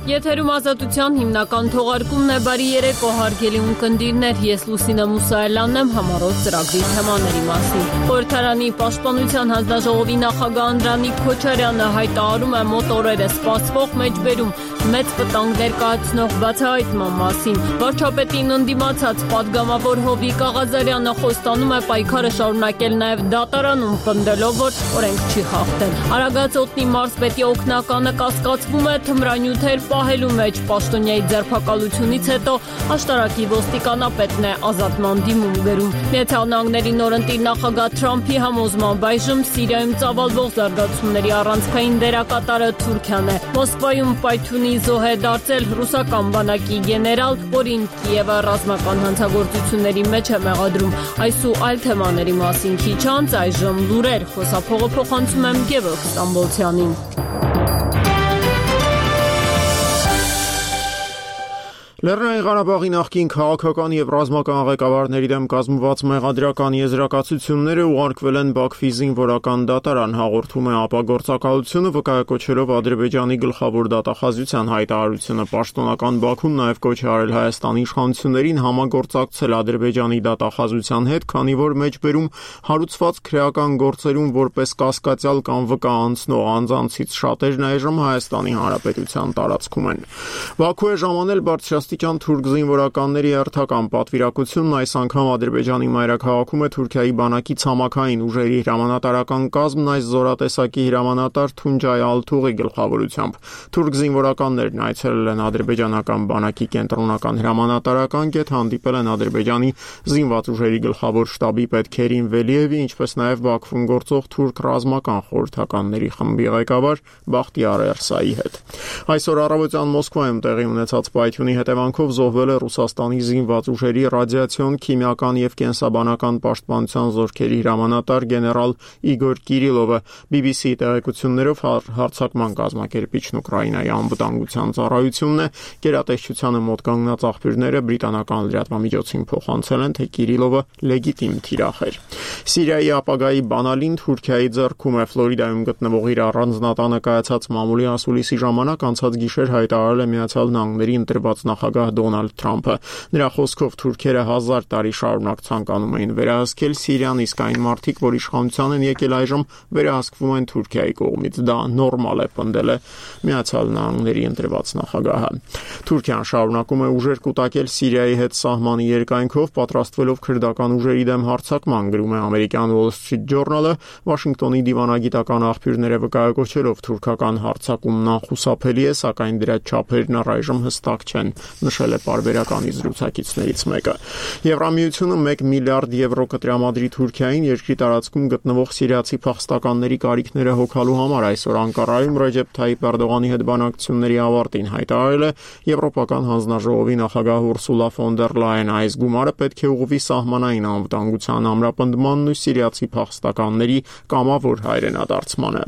Եթերում ազատության հիմնական թողարկումն է, բարի երեկո հարգելի ունկնդիրներ, ես Լուսինե Մուսայելյանն եմ, համառոտ ծրագրի թեմաների մասին։ Խորհրդարանի պաշտպանության հանձնաժողովի նախագահ Անդրանիկ Քոչարյանը հայտարարում է մոտ օրերս սպասվող մեջբերում մեծ վտանգներ կայացնող բացահայտման մասին։ Վարչապետին ընդդիմացած պատգամավոր Հովիկ Աղազարյանը խոստանում է պայքարը շարունակել նաև դատարանում, պնդելով, որ օրենք չի խախտել։ Արագածոտնի մարզպետի օգնականը կասկածվում է թմրանյութեր պահելու մեջ, պաշտոնյայի ձերբակալությունից հետո աշտարակի ոստիկանապետն է ազատման դիմում գրում։ Միացյալ Նահանգների նորընտիր նախագահ Թրամփի համոզմամբ այժմ Սիրիայում ծավալվող զարգացումների առանցքային դերակատարը Թուրքիան է։ Մոսկվայում պայթյունի զոհ է դարձել ռուսական բանակի գեներալ, որին Կիևը ռազմական հանցագործությունների մեջ է մեղադրում։ Այս ու այլ թեմաների մասին քիչ անց այժմ լուրեր, խոսափողը փոխանցում եմ Գևորգ Ստամբոլցյանին։ Լեռնային Ղարաբաղի նախկին քաղաքական եւ ռազմական ղեկավարների դեմ կազմված մեղադրական եզրակացությունները ուղարկվել են Բաքվի զինվորական դատարան, հաղորդում է ապագործակալությունը, վկայակոչելով Ադրբեջանի գլխավոր դատախազության հայտարարությունը։ Պաշտոնական Բաքուն նաեւ կոչ է արել Հայաստանի իշխանություններին համագործակցել Ադրբեջանի դատախազության հետ, քանի որ մեջբերում հարուցված քրեական գործերում որպես կասկածյալ կամ վկա անցնող անձանցից շատերն այժմ Հայաստանի Հանրապետության տարածքում են։ Բաքու է ժամանել բարձրաստիճան թուրք զինվորականների հերթական պատվիրակությունն այս անգամ Ադրբեջանի մայրաքաղաքում է Թուրքիայի բանակի ցամաքային ուժերի հրամանատարական կազմն այս զորատեսակի հրամանատար Թունջայ Ալթուղի գլխավորությամբ։ Թուրք զինվորականներն այցելել են ադրբեջանական բանակի կենտրոնական հրամանատարական կետ, հանդիպել են Ադրբեջանի զինված ուժերի գլխավոր շտաբի պետ Քերիմ Վելիևի, ինչպես նաև Բաքվում գործող թուրք ռազմական խորհրդականների խմբի ղեկավար Բախտիար Էրսայի հետ։ Այսօր առավոտյան Մոսկվայում տեղի ունեցած պայթյունի հետևանքով զոհվել է Ռուսաստանի զինված ուժերի ռադիացիոն, քիմիական եւ կենսաբանական պաշտպանության զորքերի հրամանատար գեներալ Իգոր Կիրիլովը։ BBC-ի տեղեկություններով հարձակման կազմակերպիչն Ուկրաինայի անվտանգության ծառայությունն է։ Գերատեսչությանը մոտ կանգնած աղբյուրները բրիտանական լրատվամիջոցին փոխանցել են, թե Կիրիլովը լեգիտիմ թիրախ էր։ Սիրիայի ապագայի բանալին Թուրքիայի ձեռքում է։ Ֆլորիդայում գտնվող իր առանձնատանը կայացած մամուլի ասուլիսի ժամանակ անցած գիշեր հայտարարել է Միացյալ Նահանգների ընտրված նախագահ Դոնալդ Թրամփը։ Նրա խոսքով թուրքերը 1000 տարի շարունակ ցանկանում էին վերահսկել Սիրիան, իսկ այն մարդիկ, որ իշխանության են եկել այժմ, վերահսկվում են Թուրքիայի կողմից։ Դա նորմալ է, պնդել է Միացյալ Նահանգների ընտրված նախագահը։ Թուրքիան շարունակում է ուժեր կուտակել Սիրիայի հետ սահմանի երկայնքով, պատրաստվելով քրդական ուժերի դեմ հարձակման, գրում է ամերիկյան Wall Street Journal-ը։ Վաշինգտոնի դիվանագիտական աղբյուրները վկայակոչելով թուրքական հարձակումն անխուսափելի է, սակայն դրա չափերն առայժմ հստակ չեն, նշել է պարբերականի զրուցակիցներից մեկը։ Եվրամիությունը 1 միլիարդ եվրո կտրամադրի Թուրքիային երկրի տարածքում գտնվող սիրիացի փախստականների կարիքները հոգալու համար։ Այսօր Անկարայում Ռեջեփ Թայիփ Էրդողանի հետ բանակցությունների ավարտին հայտարարել է Եվրոպական հանձնաժողովի նախագահ Ուրսուլա ֆոն դեր Լայեն։ Այս գումարը պետք է ուղղվի սահմանային անվտանգության ամրապնդմանն ու սիրիացի փախստականների կամավոր հայրենադարձմանը։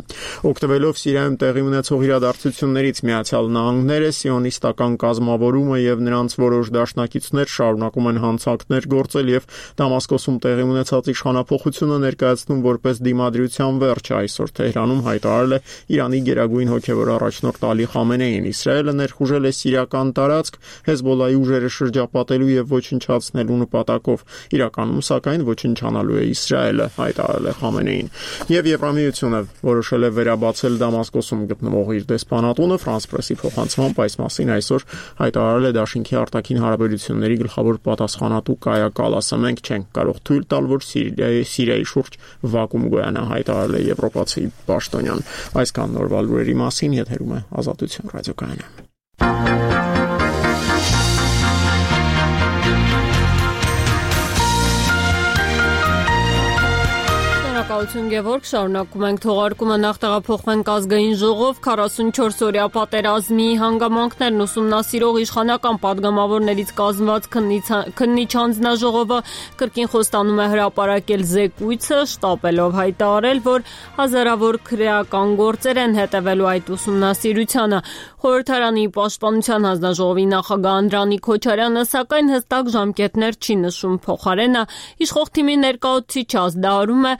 Օգտվելով Սիրիայում տեղի ունեցող իրադարձություններից Միացյալ Նահանգները, սիոնիստական կազմավորումը եւ նրանց որոշ դաշնակիցներ շարունակում են հանցանքներ գործել եւ Դամասկոսում տեղի ունեցած իշխանափոխությունը ներկայացնում որպես դիմադրության վերջ։ Այսօր Թեհրանում հայտարարել է Իրանի գերագույն հոգեվոր առաջնորդ Ալի Խամենեին։ Իսրայելը ներխուժել է սիրիական տարածք Հեզբոլայի ուժերը շրջապատելու եւ ոչնչացնելու նպատակով։ Իրականում, սակայն, ոչնչանալու է Իսրայելը, հայտարարել է Խամենեին։ Եվ Եվրամիությունը որոշել է վերաբացել Դամասկոսում գտնվող իր դեսպանատունը։ Ֆրանս պրեսի փոխանցմամբ այս մասին այսօր հայտարարել է Դաշինքի արտաքին հարաբերությունների գլխավոր պատասխանատու Կայա Կալասը։ Մենք չենք կարող թույլ տալ, որ Սիրիայի շուրջ վակուում գոյանա, հայտարարել է եվրոպացի պաշտոնյան։ Այսքան նորվա լուրերի մասին, եթերում է Ազատություն ռադիոկայանը։ Շնորհակալություն Գևորգ, շարունակում ենք թողարկումը, նախ տեղափոխվենք ազգային ժողով, 44-օրյա պատերազմի հանգամանքներն ուսումնասիրող իշխանական պատգամավորներից կազմված քննիչ հանձնաժողովը կրկին խոստանում է հրապարակել զեկույցը, շտապելով հայտարարել, որ հազարավոր քրեական գործեր են հետևելու այդ ուսումնասիրությանը։ Խորհրդարանի պաշտպանության հանձնաժողովի նախագահ Անդրանիկ Քոչարյանը սակայն հստակ ժամկետներ չի նշում, փոխարենը իշխող թիմի ներկայացուցիչը ազդարարում է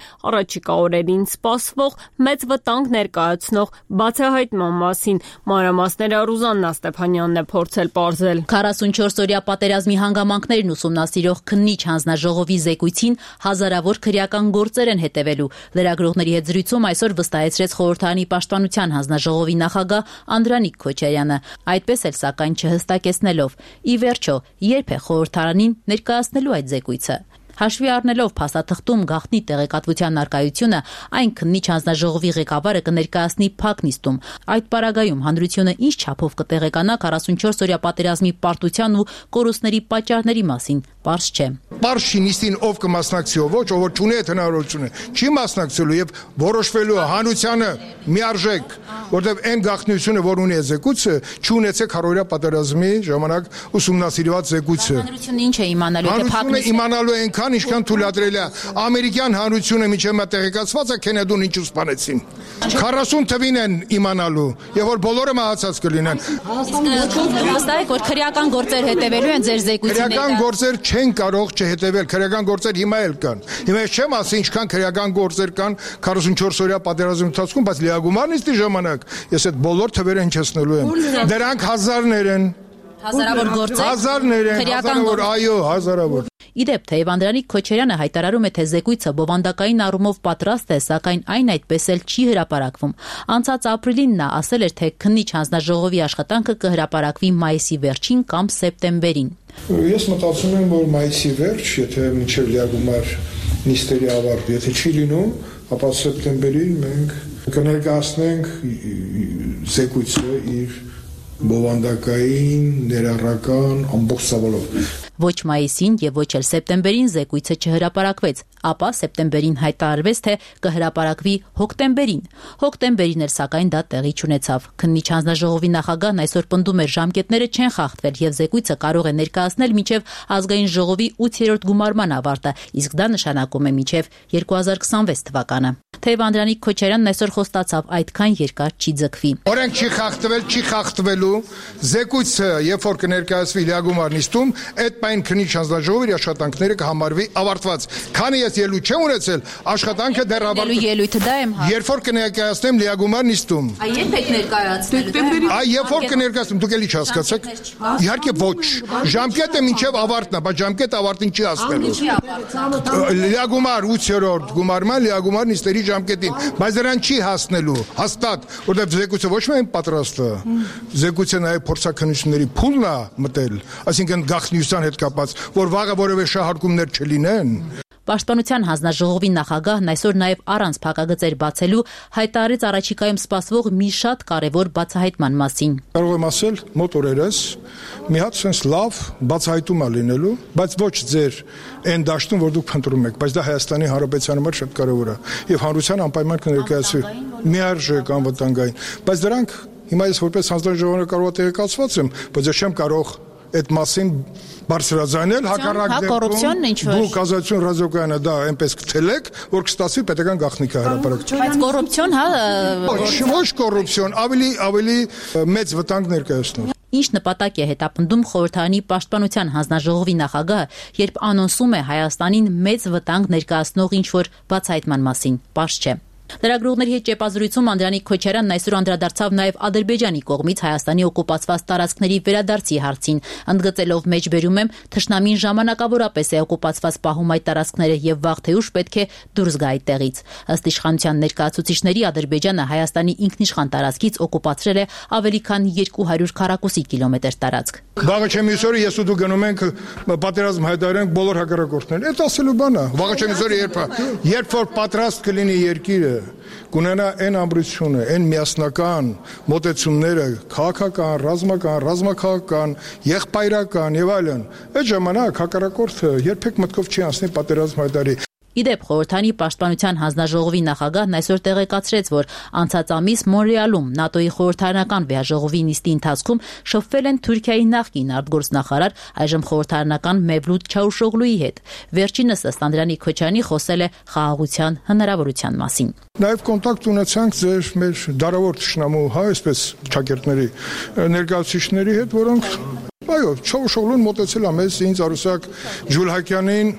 առաջիկա օրերին սպասվող մեծ վտանգ ներկայացնող բացահայտման մասին։ Մանրամասները Ռուզաննա Ստեփանյանն է փորձել պարզել։ 44-օրյա պատերազմի հանգամանքներն ուսումնասիրող քննիչ հանձնաժողովի զեկույցին հազարավոր քրեական գործեր են հետևելու։ Լրագրողների հետ զրույցում այսօր վստահեցրեց խորհրդարանի պաշտպանության հանձնաժողովի նախագահ Անդրանիկ Քոչարյանը, այդպես էլ սակայն չհստակեցնելով՝ ի վերջո երբ է խորհրդարանին ներկայացնելու այդ զեկույցը։ Հաշվի առնելով փաստաթղթում գաղտնի տեղեկատվության առկայությունը, այն քննիչ հանձնաժողովի ղեկավարը կներկայացնի փակ նիստում։ Այդ պարագայում հանրությունը ինչ չափով կտեղեկանա 44-օրյա պատերազմի պարտության ու կորուստների պատճառների մասին, պարզ չէ։ Պարզ չի նիստին ով կմասնակցի, ով չունի այդ հնարավորությունը, չի մասնակցելու եւ որոշվելու հանրությանը միարժեք, որտեղ այն գաղտնիությունը, որ ունի զեկույցը, չունեցեք հարյուրյա պատերազմի ժամանակ ուսումնասիրված զեկույցը։ Հանրությունը ինչ է իմանալու, թե փակ նիստը իմանալու այնքան ինչքան թույլատրել է ամերիկյան հանրությունը միջև մա տեղեկացված է Քենեդուն ինչ սպանեցին 40 թվին են իմանալու եւ որ բոլորը մահացած կլինեն։ Հաստատ որ քրեական գործեր հետևելու են ձեր զեկույցի քրեական գործեր չեն կարող չհետևել, քրեական գործեր հիմա էլ կան։ Հիմա չեմ ասի ինչքան քրեական գործեր կան 44 օրյա պատերազմի ընթացքում, բայց լիագումար նիստի ժամանակ ես այդ բոլոր թվերը հնչեցնելու եմ։ Դրանք հազարներ են։ Հազարավոր գործեր։ Հազարներ են, հազարավոր, այո, հազարավոր։ Իդեպ թեև Անդրանիկ Քոչարյանը հայտարարում է, թե զեկույցը բովանդակային առումով պատրաստ է, սակայն այն այդպես էլ չի հրապարակվում։ Անցած ապրիլին նա ասել էր, թե քննիչ հանձնաժողովի աշխատանքը կհրապարակվի մայիսի վերջին կամ սեպտեմբերին։ Ես մտածում եմ, որ մայիսի վերջ, եթե մինչև լիագումար նիստերի ավարտ, եթե չի լինում, ապա սեպտեմբերին մենք կներկայացնենք զեկույցը իր բովանդակային, ներառական ամբողջ ցավալով։ Ոչ մայիսին եւ ոչ էլ սեպտեմբերին զեկույցը չհրապարակվեց, ապա սեպտեմբերին հայտարարվեց, թե կհրապարակվի հոկտեմբերին։ Հոկտեմբերին էլ սակայն դա տեղի չունեցավ։ Քննիչ հանձնաժողովի նախագահն այսօր պնդում էր, ժամկետները չեն խախտվել եւ զեկույցը կարող է ներկայացնել մինչեւ ազգային ժողովի 8-րդ գումարման ավարտը, իսկ դա նշանակում է մինչեւ 2026 թվականը։ Թեև Անդրանիկ Քոչարյանն այսօր խոստացավ այդքան երկար չի ձգվի։ Օրենք չի խախտվել, չի խախտվելու զեկույցը, երբ որ կներկայացվի լիագումար նիստում, այդ այն քննիչ հանձնաժողովի աշխատանքները կհամարվի ավարտված։ Քանի ես ելույթ չեմ ունեցել, աշխատանքը դեռ ավարտվել։ Ելույթը դա եմ հա։ Երբ որ կներկայացնեմ լիագումար նիստում։ Երբ եք ներկայացնելու։ Երբ որ կներկայացնեմ, դուք էլի չհասկացաք։ Իհարկե ոչ։ Ժամկետը մինչև ավարտն է, բայց ժամկետը ավարտին չի հասնելու։ Լիագումար 8-րդ գումարման լիագումար նիստերի ժամկետին, բայց դրան չի հասնելու, հաստատ, որտեղ զեկույցը ոչ միայն պատրաստ է, զեկույցը նաև փորձաքննությունների փուլն է մտել, այսինքն գաղտնիության հետ կապած, որ վաղը որևէ շահարկումներ չլինեն։ Պաշտպանության հանձնաժողովի նախագահն այսօր նաև առանց փակագծեր բացելու հայտարարեց առաջիկայում սպասվող մի շատ կարևոր բացահայտման մասին։ Կարող եմ ասել, մոտ օրերս մի հատ sense լավ բացահայտում է լինելու, բայց ոչ ձեր այն դաշտում, որ դուք փնտրում եք, բայց դա Հայաստանի Հանրապետության համար շատ կարևոր է եւ հանրության անպայման կներկայացվի միարժեք անվտանգային, բայց դրանք հիմա ես որպես հանձնաժողովը կարող եմ տեղեկացված եմ, բայց ես չեմ կարող այդ մասին բարձրաձայնել հակառակ դեպքում դուք ազատություն ռադիոկայանը դա այնպես կթելեք, որ կստացվի պետական գաղտնիքը հրապարակել։ Բայց կոռուպցիոն, հա, ոչ կոռուպցիոն, ավելի մեծ վտանգ ներկայացնող։ Ինչ նպատակ է հետապնդում խորհրդարանի պաշտպանության հանձնաժողովի նախագահը, երբ անոնսում է Հայաստանին մեծ վտանգ ներկայացնող ինչ-որ բացահայտման մասին, պարզ չէ։ Լրագրողների հետ ճեպազրույցում Անդրանիկ Քոչարյանն այսօր անդրադարձավ նաև Ադրբեջանի կողմից Հայաստանի օկուպացված տարածքների վերադարձի հարցին, ընդգծելով մեջբերում եմ թշնամին ժամանակավորապես է օկուպացված պահում այդ տարածքները եւ վաղ թե ուշ պետք է դուրս գա այդտեղից։ Ըստ իշխանության ներկայացուցիչների Ադրբեջանը Հայաստանի ինքնիշխան տարածքից օկուպացրել է ավելի քան 200 քառակուսի կիլոմետր տարածք։ Վաղը չեմ իսօրը ես ու դու գնում ենք պատերազմ հայտարարենք բոլոր հակառակորդներին։ Այդ ասելու բան է։ Վաղը չեմ իսօրը երբ որ պատրաստ կլինի երկիրը կունենա այն ամբրությունը, այն միասնական մոտեցումները, քաղաքական, ռազմաքաղաքական, եղբայրական եւ այլն, այդ ժամանակ հակառակորդը երբեք մտքով չի անցնի պատերազմ հայտարարի։ Իդեպ խորհրդարանի պաշտպանության հանձնաժողովի նախագահն այսօր տեղեկացրեց, որ անցած ամիս Մոնրեալում ՆԱՏՕ-ի խորհրդարանական վեաժողովի նիստի ընթացքում շփվել են Թուրքիայի նախկին արտգործնախարար, այժմ խորհրդարանական Մևլութ Չավուշօղլուի հետ։ Վերջինս ըստ Անդրանիկ Քոչարյանի խոսել է խաղաղության հնարավորության մասին։ Նաև կոնտակտ ունեցանք ձեր մեր դարավոր թշնամու, հա, այսպես ճակերտների ներկայացուցիչների հետ, որոնք այո, Չավուշօղլուն մոտեցել է մեզ ինձ Արուսակ Ջուլհակյանին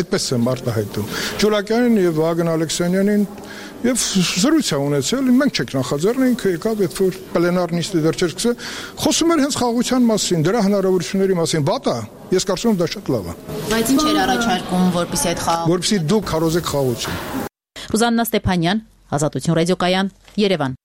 Այդպես եմ արտահայտում։ Ջուլակյանին եւ Վահագն Ալեքսանյանին եւ զրույց ունեցել, մենք չենք նախաձեռնել, ինքը եկավ, երբ որ պլենար նիստը դեռ չէր սկսել, խոսում էր հենց խաղաղության մասին, դրա հնարավորությունների մասին։ Վատ է, ես կարծում եմ դա շատ լավ է։ Բայց ինչ էր առաջարկում, որպեսզի այդ որպեսզի դուք քարոզեք խաղաղություն։ Ռուզաննա Ստեփանյան, Ազատություն ռադիոկայան, Երևան։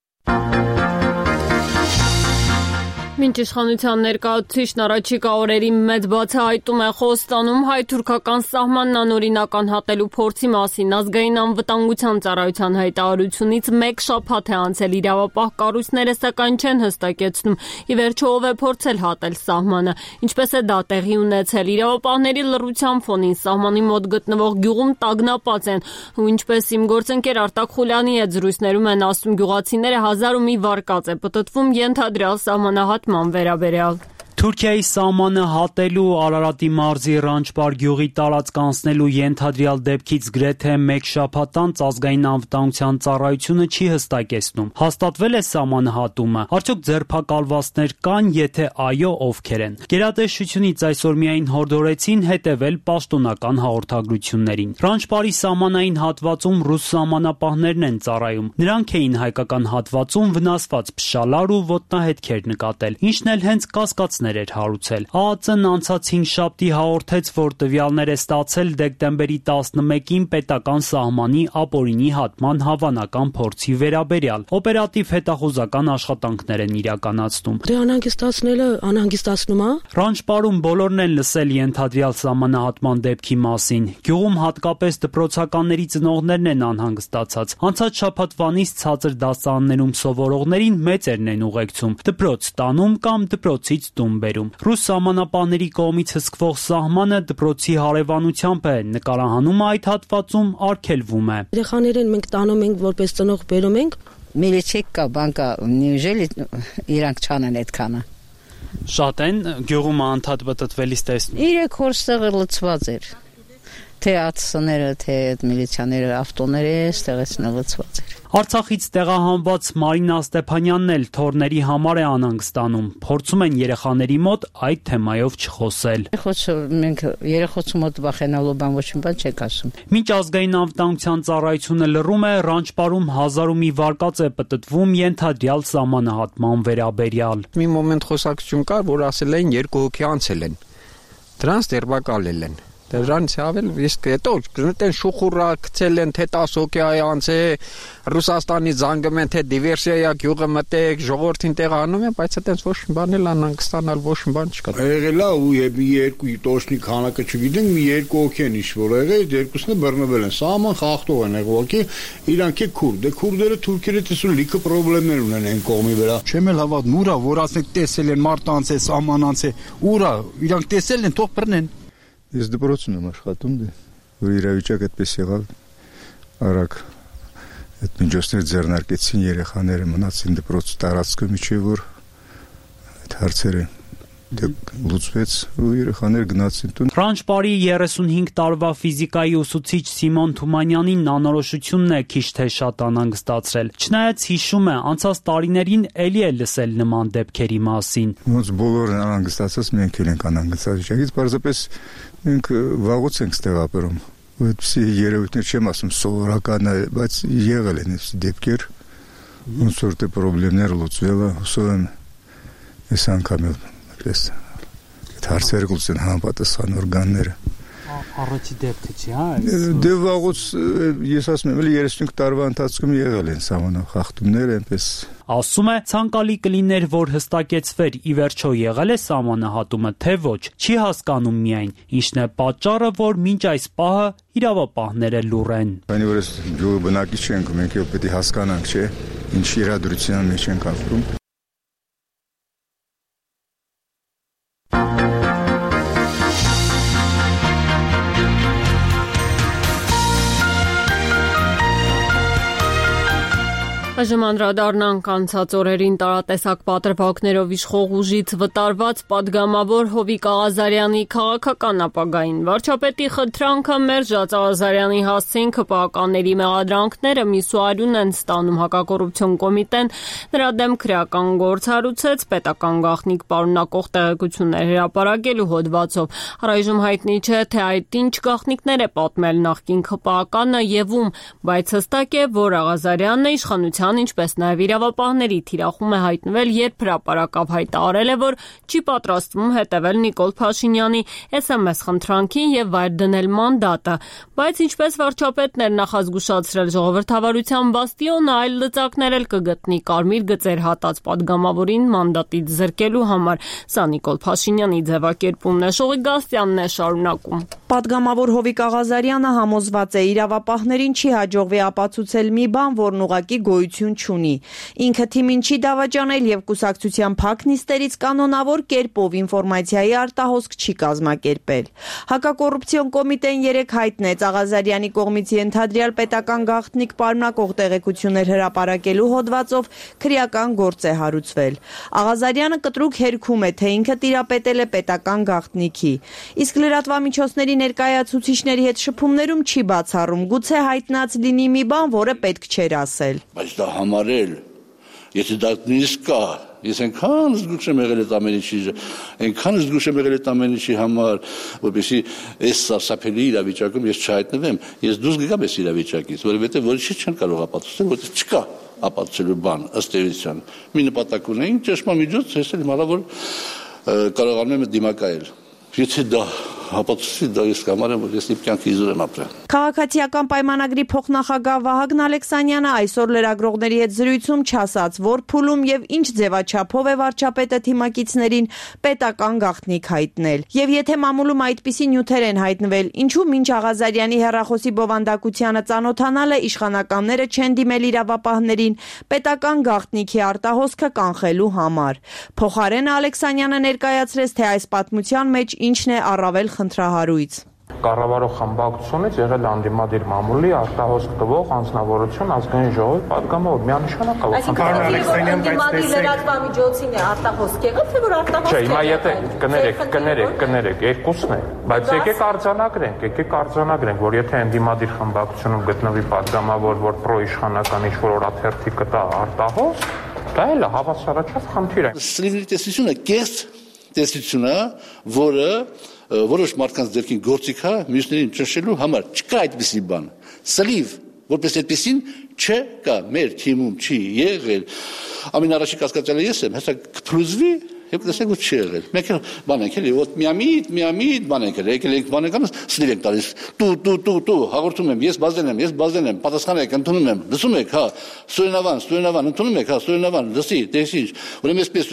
Մինչ իշխանության ներկայացուցիչն առաջիկա օրերի մեծ բացահայտում է Խոստանում հայ-թուրքական սահմանն անօրինական հատելու փորձի մասին, ազգային անվտանգության ծառայության հայտարարությունից մեկ շաբաթ է անցել, իրավապահ կառույցները սակայն չեն հստակեցնում, ի վերջո ով է փորձել հատել սահմանը, ինչպես է դա տեղի ունեցել, իրավապահների լռության ֆոնին սահմանի մոտ գտնվող գյուղում տագնապած են, ու ինչպես իմ գործընկեր Արտակ Խուլյանի հետ զրույցներում են ասում, գյուղացիները 1000 ու մի վարկած է պտտվում ենթադրյալ սահմանահատման վերաբերյալ։ Թուրքիայի սահմանը հատելու Արարատի մարզի Ռանչպար գյուղի տարածք անցնելու ենթադրյալ դեպքից գրեթե մեկ շաբաթ անց ազգային անվտանգության ծառայությունը չի հստակեցնում։ Հաստատվել է սահմանահատումը, արդյոք ձերբակալվածներ կան, եթե այո, ովքեր են։ Գերատեսչությունից այսօր միայն հորդորեցին հետևել պաշտոնական հաղորդագրություններին։ Ռանչպարի սահմանային հատվածում ռուս սահմանապահներն են ծառայում։ Նրանք էին հայկական հատվածում վնասված փշալար ու ոտնահետքեր նկատել, ինչն էլ հենց կասկածներ էր հարուցել։ ԱԱԾ-ն անցած 5 շաբթի հաղորդեց, որ տվյալներ է ստացել դեկտեմբերի 11-ին պետական սահմանի ապօրինի հատման հավանական փորձի վերաբերյալ։ Օպերատիվ հետախուզական աշխատանքներ են իրականացնում։ Դե անհանգստացնելը անհանգստացնում է։ Ռանչպարում բոլորն են լսել ենթադրյալ սահմանահատման դեպքի մասին։ Գյուղում հատկապես դպրոցականների ծնողներն են անհանգստացած։ Անցած շաբաթվանից ցածր դասարաններում սովորողներին մեծերն են ուղեկցում, դպրոց տանում կամ դպրոցից տուն բերում։ Ռուս սահմանապահների կողմից հսկվող սահմանը դպրոցի հարևանությամբ է, նկարահանումը այդ հատվածում արգելվում է։ Երեխաներին մենք տանում ենք որպես ծնող բերում ենք։ Միլիչեկա բանկա նիժելի իրանք չանեն այդքանը։ Շատ են գյուղում անդադ բտտվելիս տեսնում։ 3 օրստեղը լցված էր։ Թե ԱՑՍ-ները, թե միլիցիաները, ավտոները ստեղից լցված էր։ Արցախից տեղահանված Մարինա Ստեփանյանն էլ թորների համար է անհանգստանում։ Փորձում են երեխաների մոտ այդ թեմայով չխոսել։ Մենք երեխոցու մոտ վախենալու բան ոչ մի բան չեք ասում։ Մինչ ազգային անվտանգության ծառայությունը լռում է, Ռանչպարում 1000 ու մի վարկած է պտտվում ենթադրյալ սահմանահատման վերաբերյալ։ Մի մոմենտ խոսակցություն կար, որ ասել էին 2 հոգի անցել են։ Դրանց դերբակալել են։ Դրանից ավել իսկ հետո գտնեն շուխուրա գցել են թե 10 հոգի անց է Ռուսաստանից զանգում են թե դիվերսիա գյուղը մտեք ժողովրդին տեղանում են բայց այդպես ոչ մի բան էլ անհանգստանալ ոչ մի բան չկա եղել է ու մի երկու տոշնի քանակը չգիտենք մի երկու հոգի են իշվոր եղել երկուսն է բռնվել են սահման խախտող են եղել ուղղակի իրանք է քուրդ դե քուրդերը թուրքերը տեսու լիքը խնդիրներ ունեն այն կողմի վրա չեմ էլ հավատում ուրա որ ասենք տեսել են մարտ անց է սահման անց է ուրա իրանք տեսել են թող բռնեն Ես դպրոցում եմ աշխատում, որ իրավիճակը այդպես եղավ, արագ այդ միջոցներ ձեռնարկեցին երեխաները մնացին դպրոց տարածքը միջև որ այդ հարցերը լուծվեց ու երեխաները գնացին տուն։ Ռանչպարի 35 տարվա ֆիզիկայի ուսուցիչ Սիմոն Թումանյանին անորոշությունն է քիչ թե շատ անհանգստացրել։ Չնայած հիշում է, անցած տարիներին էլի է լսել նման դեպքերի մասին։ Ոնց բոլորն անհանգստացած մենք էլ ենք անհանգստացած վիճակից, պարզապես մենք վաղուց ենք ստեղ ապրում։ Այդպիսի երևույթներ չեմ ասում սովորական է, բայց եղել են այս դեպքեր, ոնց որ դե խնդիրներ լուծվել է, հուսով եմ այս անգամ այդպես այդ հարցերը լուծեն համապատասխան օրգանները։ Առաջի դեպքը չի, հա։ Դե վաղուց ես ասում եմ, 35 տարվա ընթացքում եղել են սահմանախախտումներ, այնպես Ասում է, ցանկալի կլիներ, որ հստակեցվեր ի վերջո եղել է սահմանահատումը, թե ոչ, չի հասկանում միայն, ինչն է պատճառը, որ մինչ այս պահը իրավապահները լուռ են։ Քանի որ այս գյուղի բնակիչ ենք, մենք էլ պետք է հասկանանք, չէ՞, ինչ իրադրության մեջ ենք ապրում։ Այժմ անդրադառնանք անցած օրերին տարատեսակ պատրվակներով իշխող ուժից վտարված պատգամավոր Հովիկ Աղազարյանի քաղաքական ապագային։ Վարչապետի խնդրանքը մերժած Աղազարյանի հասցեին ԿՊԱ-կանների մեղադրանքները միսուարյուն են ստանում հակակոռուպցիոն կոմիտեն նրա դեմ քրեական գործ հարուցեց պետական գաղտնիք պարունակող տեղեկություններ հրապարակելու հոդվածով։ Առայժմ հայտնի չէ, թե այդ ինչ գաղտնիքներ է պատմել նախկին ԿՊԱ-կանը եւ ում, բայց հստակ է, որ Աղազարյանն իշխանության ինչպես նաև իրավապահների թիրախում է հայտնվել, երբ հրապարակավ հայտարարել է, որ չի պատրաստվում հետևել Նիկոլ Փաշինյանի SMS խնդրանքին եւ վայր դնել մանդատը, բայց ինչպես վարչապետն էր նախազգուշացրել ժողովրդավարության բաստիոնը, այլ լծակներ էլ կգտնի կարմիր գծեր հատած պատգամավորին մանդատից զրկելու համար։ Սա Նիկոլ Փաշինյանի ձևակերպումն է, Շողիկ Գասյանն է շարունակում։ Պատգամավոր Հովիկ Աղազարյանը համոզված է իրավապահներին չի հաջողվի ապացուցել մի բան, որն ուղղակի գոյություն չունի։ Ինքը թիմին չի դավաճանել եւ կուսակցության փակ նիստերից կանոնավոր կերպով ինֆորմացիայի արտահոսք չի կազմակերպել։ Հակակոռուպցիոն կոմիտեն 3 հայտնեց Աղազարյանի կողմից ենթադրյալ պետական գաղտնիք պարունակող տեղեկություններ հրապարակելու հոդվածով քրեական գործ է հարուցվել։ Աղազարյանը կտրուկ հերքում է, թե ինքը տիրապետել է պետական գաղտնիքի։ Իսկ լրատվամիջոցների ներկայացուցիչների հետ շփումներում չի բացառում, գուցե հայտնած լինի մի բան, որը պետք չէր ասել։ Բայց դա համարել, եթե դա նույնիսկ կա, ես այնքան զգուշ եմ եղել այդ ամեն ինչի, այնքան զգուշ եմ եղել այդ ամեն ինչի համար, որպեսզի այս սարսափելի իրավիճակում ես չհայտնվեմ, ես դուրս գամ այս իրավիճակից, որովհետև ոչինչ չեն կարող ապացուցել, որտեղ չկա ապացուցելու բան ըստ էության։ Մի նպատակ ունեին, ճշմամիջոց, ես էլ հնարավոր կարողանում եմ դիմակայել։ Եթե դա ապացուցի, դա ես կամարեմ, որ ես իմ կյանքի իզուր եմ ապրել։ Քաղաքացիական պայմանագրի փոխնախագահ Վահագն Ալեքսանյանը այսօր լրագրողների հետ զրույցում չասաց, որ փուլում եւ ինչ ձևաչափով է վարչապետը թիմակիցներին պետական գաղտնիք հայտնել։ Եվ եթե մամուլում այդպիսի նյութեր են հայտնվել, ինչու մինչ Աղազարյանի հեռախոսի բովանդակությանը ծանոթանալը իշխանականները չեն դիմել իրավապահներին պետական գաղտնիքի արտահոսքը կանխելու համար։ Փոխարենը Ալեքսանյանը ներկայացրեց, թե այս պատմության մեջ ինչն է առավել խնդրահարույց։ Կառավարող խմբակցությունից եղել անդիմադիր մամուլի արտահոսք տվող անձնավորություն ազգային ժողովի պատգամավոր միանշանակ է։ Այսինքն անդիմադիր լրատվամիջոցին է արտահոսք եղել, թե որ արտահոսք։ Չէ, հիմա եթե կներեք, երկուսն է, բայց եկեք արձանագրենք, որ եթե անդիմադիր խմբակցությունում գտնվի պատգամավոր, որ պրոիշխանական ինչ-որ օրաթերթի կտա արտահոսք, դա էլ հավասարաչափ խնդիր է։ Սլիվի տեսությունը կես տեսությունը, որը որոշ մարդկանց ձեռքին գործիք է մյուսներին ճնշելու համար, չկա այդպիսի բան։ Սլիվ, որպես այդպիսին չկա, մեր թիմում չի եղել։ Ամեն առաջին կասկածյալը ես եմ, հեսա կփլուզվի եւ տեսեք որ չի եղել։ Մենք բան ենք էլի, ոտ միամիտ բան ենք եկել ենք բան ենք սլիվ ենք տալիս։ Տու հաղորդում եմ, ես բազեն եմ, պատասխան եք, ընդունում եմ, լսում եք, հա, Սուրենավան, ընդունում եք, հա, Սուրենավան, լսի, տեսի, ուրեմն այսպես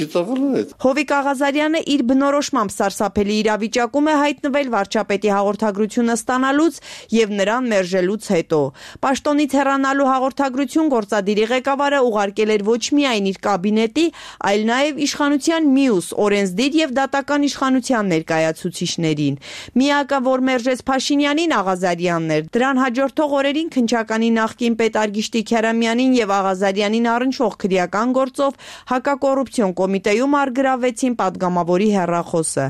ծիծաղալու է։ Հովիկ Աղազարյանը իր բնորոշմամբ սարսափելի իրավիճակում է հայտնվել վարչապետի հաղորդագրությունը ստանալուց եւ նրան մերժելուց հետո։ Պաշտոնից հեռանալու հաղորդագրություն գործադիրի ղեկավարը ուղարկել էր ոչ միայն իր կաբինետի, այլ նաեւ իշխանության մյուս օրենսդիր եւ դատական իշխանության ներկայացուցիչներին։ Միակը, որ մերժեց Փաշինյանին, Աղազարյանն էր։ Դրան հաջորդող օրերին քննչականի նախկին պետ Արգիշտի Քյարամյանին եւ Աղազարյանին առնչվող քրեական գործով հակակոռուպցիոն կոմիտեում արգրավեցին պատգամավորի հեռախոսը։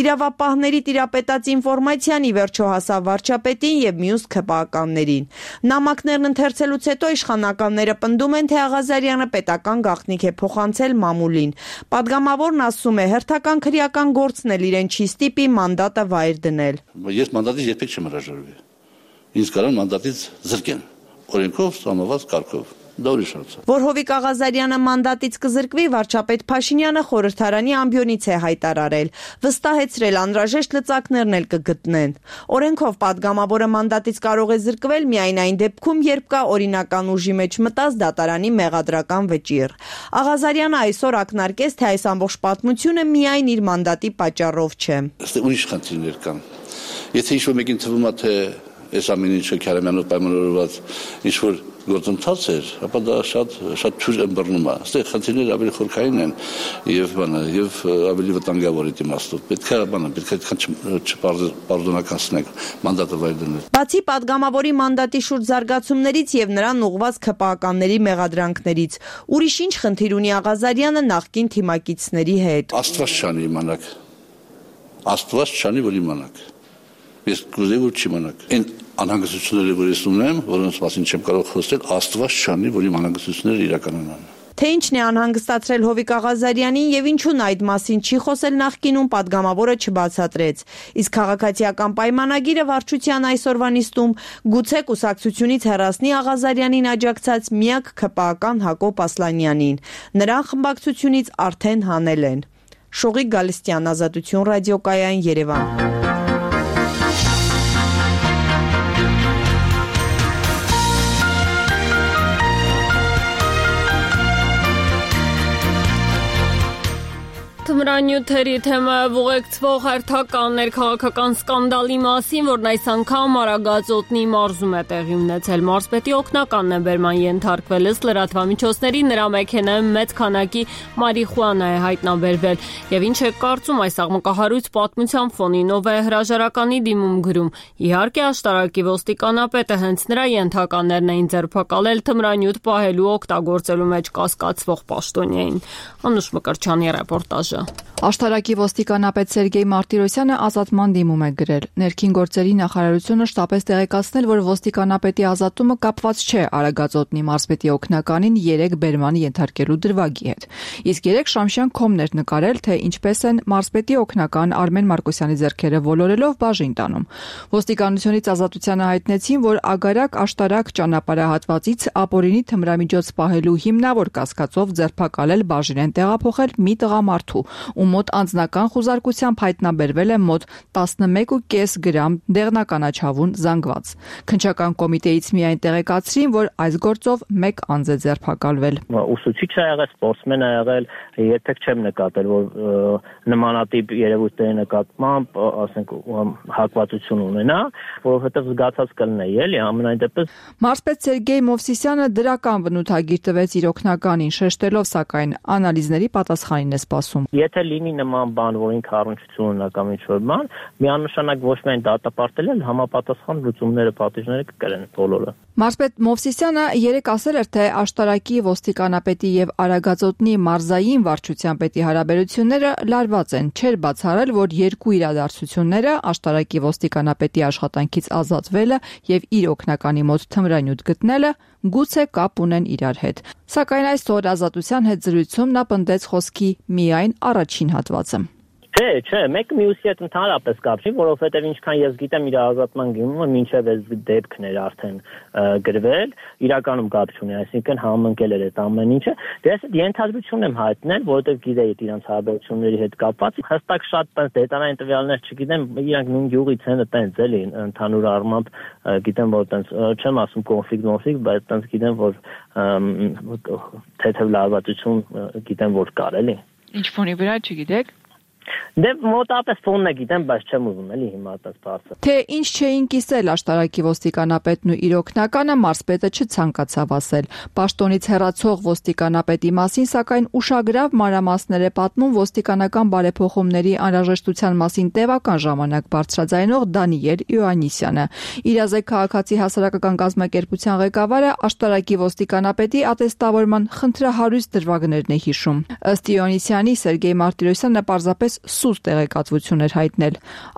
Իրավապահների տիրապետած ինֆորմացիան ի վերջո հասավ վարչապետին եւ մյուս ԿՊԱ-կաններին։ Նամակներն ընթերցելուց հետո իշխանականները պնդում են, թե Աղազարյանը պետական գաղտնիք է փոխանցել մամուլին։ Պատգամավորն ասում է, հերթական քրեական գործն էլ իրեն չի ստիպի մանդատը վայր դնել։ Ես մանդատից երբեք չեմ հրաժարվի։ Ինձ կարող մանդատից զրկեն, օրենքով սահմանված կարգով։ Դա ուրիշ հարց է։ Որ Հովիկ Աղազարյանը մանդատից կզրկվի, վարչապետ Փաշինյանը խորհրդարանի ամբիոնից է հայտարարել, վստահեցրել անհրաժեշտ լծակներն էլ կգտնեն։ Օրենքով պատգամավորը մանդատից կարող է զրկվել միայն այն դեպքում, երբ կա օրինական ուժի մեջ մտած դատարանի մեղադրական վճիռ։ Աղազարյանը այսօր ակնարկեց, թե այս ամբողջ պատմությունը միայն իր մանդատի պատճառով չէ։ Ուրիշ խնդիրներ կան։ Եթե ինչ-որ մեկին թվում է, թե այս ամեն ինչը Քարամյանով պայմանավորված ինչ որ գործընթաց էր, ապա դա շատ թույլ ըմբռնում է։ Այստեղ խնդիրները ավելի խորքային են եւ ավելի վտանգավոր իմաստով։ Պետք է չպարդոնականացնել մանդատը վայր դնել։ Բացի падգամավորի մանդատի շուրջ զարգացումներից եւ նրան ուղղված ՔՊԱ-կանների մեղադրանքներից, ուրիշ ինչ խնդիր ունի Աղազարյանը նախկին թիմակիցների հետ։ Աստված չանի իմանաք։ Աստված չանի որ իմանաք։ Ես կուզեի որ չիմանաք։ Այն անհանգստությունները որ ես ունեմ, որոնց մասին չեմ կարող խոսել, Աստված չանի որ իմ անհանգստությունները իրականանան։ Թե ինչն է անհանգստացրել Հովիկ Աղազարյանին եւ ինչու նա այդ մասին չի խոսել նախկինում, падգամավորը չբացատրեց։ Իսկ քաղաքացիական պայմանագիրը վարչության այսօրվա նիստում գուցե կուսակցությունից հեռացնի Աղազարյանին աջակցած միակ ՔՊԱ-կան Հակոբ Ասլանյանին։ Նրան խմբակցությունից արդեն հանել են։ Շողիկ Գալստյան, Ազատություն ռադիոկայան, Երևան։ Թմրանյութերի թեմայով ուղեկցվող հերթական ներքաղաքական սկանդալի մասին, որն այս անգամ Արագածոտնի մարզում է տեղի ունեցել, մարզպետի օգնականն է բերման ենթարկվել, ըստ լրատվամիջոցների նրա մեքենայում մեծ քանակի մարիխուանա է հայտնաբերվել։ Եվ ինչ է կարծում այս աղմկահարույց պատմության ֆոնին, ով է հրաժարականի դիմում գրում։ Իհարկե աշտարակի ոստիկանապետը հենց նրա ենթականներն էին ձերբակալել թմրանյութ պահելու օգտագործելու մեջ կասկածվող պաշտոնյային։ Անուշ Մկրտչյանի ռեպորտաժը։ Աշտարակի ոստիկանապետ Սերգեյ Մարտիրոսյանը ազատման դիմում է գրել։ Ներքին գործերի նախարարությունը շտապեց տեղեկացնել, որ ոստիկանապետի ազատումը կապված չէ Արագածոտնի մարզպետի օգնականին 3 բերման ենթարկելու դրվագի հետ։ Իսկ 3 Շամշյան կոմներ նկարել, թե ինչպես են մարզպետի օգնական Արմեն Մարկոսյանի ձեռքերը ոլորելով բաժին տանում։ Ոստիկանությունից ազատությանը հայտնեցին, որ Ագարակ Աշտարակ ճանապարհահատվածից ապօրինի թմրամիջոց պահելու հիմնավոր կասկածով ձերբակալել բաժին են տեղափոխել մի տղամարդու, ում մոտ անձնական խուզարկությամբ հայտնաբերվել է մոտ 11.5 գրամ դեղնականաչավուն զանգված։ Քննչական կոմիտեից միայն տեղեկացրին, որ այս գործով 1 անձ է ձերբակալվել։ Ուսուցիչ է եղել, սպորտսմեն է եղել, երբեք չեմ նկատել, որ նմանատիպ երևույթների նկատմամբ, ասենք, հակվածություն ունենա, որովհետև զգացած կլինի, էլի, ամենայն դեպս։ Մարզպետ Սերգեյ Մովսիսյանը դրական բնութագիր տվեց իր օգնականին, շեշտելով սակայն անալիզների պատասխանին է սպասում։ Եթե լինի նման բան, որ ինքը առնչություն ունենա կամ ինչ-որ բան, միանշանակ ոչ միայն դատապարտել են, համապատասխան լուծումները, պատիժները կկրեն բոլորը։ Մարզպետ Մովսիսյանը երեկ ասել էր, թե Աշտարակի ոստիկանապետի եւ Արագածոտնի մարզային վարչության պետի հարաբերությունները լարված են։ Չէր բացառել, որ երկու իրադարձությունները Աշտարակի ոստիկանապետի աշխատանքից ազատվելը եւ իր օգնականի մոտ թմրանյութ գտնելը գուցե կապ ունեն իրար հետ։ Սակայն այսօր Ազատության հետ զրույցում նա պնդեց խոսքի միայն առաջին հատվածը։ Չէ, մեկը մյուսի հետ ընդհանրապես կապ չի, որովհետև ինչքան ես գիտեմ իր ազատման գումարը մինչև այս դեպքն էր արդեն գրվել, իրականում կապ չունի, այսինքն համընկել էր այդ ամեն ինչը։ Դե ես ենթադրություն եմ հայտնել, որովհետև գիտեի իրանց հարաբերությունների հետ կապված, հստակ շատ դետալային տվյալներ չգիտեմ, իրանք նույն գյուղից են տենց էլի ընդհանուր առմամբ գիտեմ, որ տենց չեմ ասում կոնֆլիկտ, բայց տենց գիտեմ, որ թեթև լարվածություն գիտեմ, որ կար էլի։ Ինչ ֆոնի վրա չգիտեք։ Դե մոտապես ֆոնն է գիտեմ, բայց չեմ ուզում էլի հիմա այդպես բարձր։ Թե ինչ չէին կիսել Աշտարակի ոստիկանապետն ու իր օգնականը, մարզպետը չցանկացավ ասել։ Պաշտոնից հեռացող ոստիկանապետի մասին, սակայն ուշագրավ մանրամասներ է պատմում ոստիկանական բարեփոխումների անհրաժեշտության մասին տևական ժամանակ բարձրաձայնող Դանիել Իոաննիսյանը։ Իրազեկ քաղաքացի հասարակական կազմակերպության ղեկավարը Աշտարակի ոստիկանապետի ատեստավորման խնդրահարույց դրվագներն է հիշում։ Ըստ Իոաննիսյանի, Սերգեյ Մարտիրոսյանը պարզապես սուս տեղեկատվություն էր հայտնել։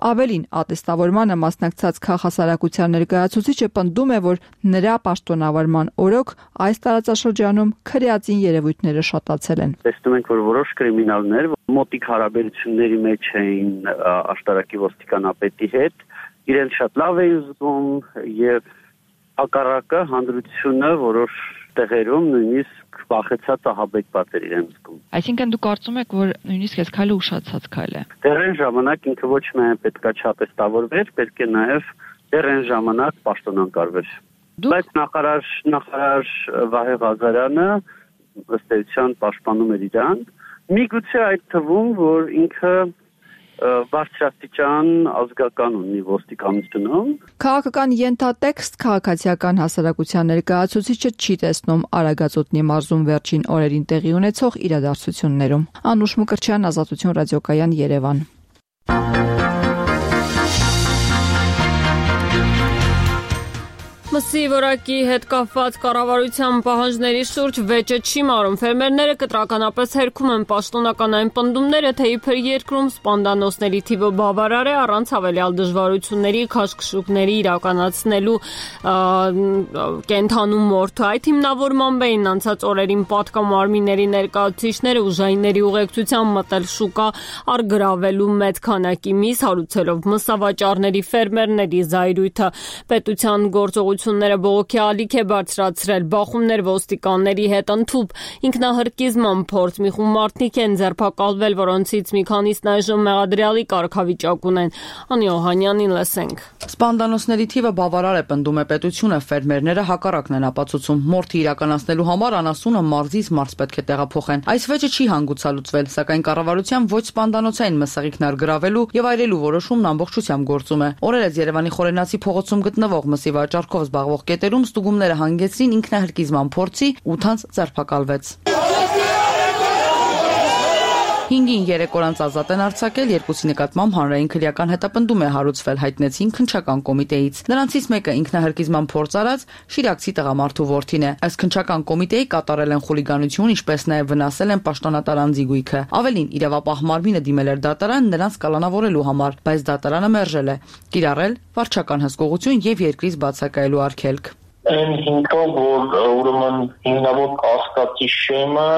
Ավելին, ատեստավորմանը մասնակցած քաղաքասարակության ներկայացուցիչը պնդում է, որ նրա պաշտոնավարման օրոք այս տարածաշրջանում քրեածին երևույթները շատացել են։ Տեսնում ենք, որ որոշ կրիմինալներ մոտիկ հարաբերությունների մեջ էին Աշտարակի ոստիկանապետի հետ, իրենց շատ լավ էին զգում եւ հակառակը հանրությունը որոշ տեղերում նույնիսկ վախեցած ահաբեկ պատեր իրենց զգում։ Այսինքն դու կարծում ես, որ նույնիսկ այս քայլը ուշացած քայլ է։ Դեռ այն ժամանակ ինքը ոչ միայն պետքա չատեստավորվեր, պետք է նաև դեռ այն ժամանակ պաշտոնակարվեր։ Բայց նախարար Վահե Ղազարյանը ըստ էության պաշտպանում էր իրան։ Միգուցե այդ թվում, որ ինքը բարձրաստիճան ազգական ունի ոստիկանությունում։ Քաղաքական ենթատեքստ քաղաքացիական հասարակության ներկայացուցիչը չի տեսնում Արագածոտնի մարզում վերջին օրերին տեղի ունեցող իրադարձություններում։ Անուշ Մկրտչյան, Ազատություն ռադիոկայան, Երևան։ Մսի որակի հետ կապված կառավարության պահանջների շուրջ վեճը չի մարում։ Ֆերմերները կտրականապես հերքում են պաշտոնական այն պնդումները, թե իբր երկրում սպանդանոցների թիվը բավարար է առանց հավելյալ դժվարությունների քաշքշուկների իրականացնելու կենթանու մորթու։ Այդ հիմնավորմամբ էին անցած օրերին պատկամարմինների ներկայացուցիչները ուժայինների ուղեկցությամբ մտել շուկա առգրավելու մեծ քանակի միս, հարուցելով մսավաճառների ֆերմերների զայրույթը։ Պետության գործողությունները բողոքի ալիք է բարձրացրել, բախումներ ոստիկանների հետ ընդཐུպ, ինքնահրկիզման փորձ, մի խումբ մարդիկ են ձերբակալվել, որոնցից մի քանիսն այժմ մեղադրյալի կարգավիճակ ունեն։ Անի Օհանյանին լսենք։ Սպանդանոցների թիվը բավարար է, պնդում է պետությունը, ֆերմերները հակառակն են ապացուցում։ Մորթի իրականացնելու համար անասունը մարզից մարզ պետք է տեղափոխեն։ Այս վեճը չի հանգուցալուծվել, սակայն կառավարության ոչ սպանդանոցային մսեղիկն առգրավելու եւ այրելու որոշումն ամբողջությամբ գործում է։ Օրերս Երևանի Խորենացի փողոցում գտնվող մսի վաճառքով զբաղվող կետերում ստուգումները հանգեցրին ինքնահրկիզման փորձի, 8 անձ ձերբակալվեց։ 5-ին 3 օր ազատ են արձակել, երկուսի նկատմամբ հանրային քրեական հետապնդում է հարուցվել, հայտնեցին քննչական կոմիտեից։ Նրանցից մեկը ինքնահրկիզման փորձ արած Շիրակցի տղամարդու որդին է։ Այս քննչական կոմիտեի կատարել են խուլիգանություն, ինչպես նաև վնասել են պաշտոնատար անձի գույքը։ Ավելին, իրավապահ մարմինը դիմել էր դատարան նրանց կալանավորելու համար, բայց դատարանը մերժել է։ Կիրառել վարչական հսկողություն եւ երկրից բացակայելու արգելք։ Այն հիմքով, որ ուրեմն հիմնավոր կասկածի շեմը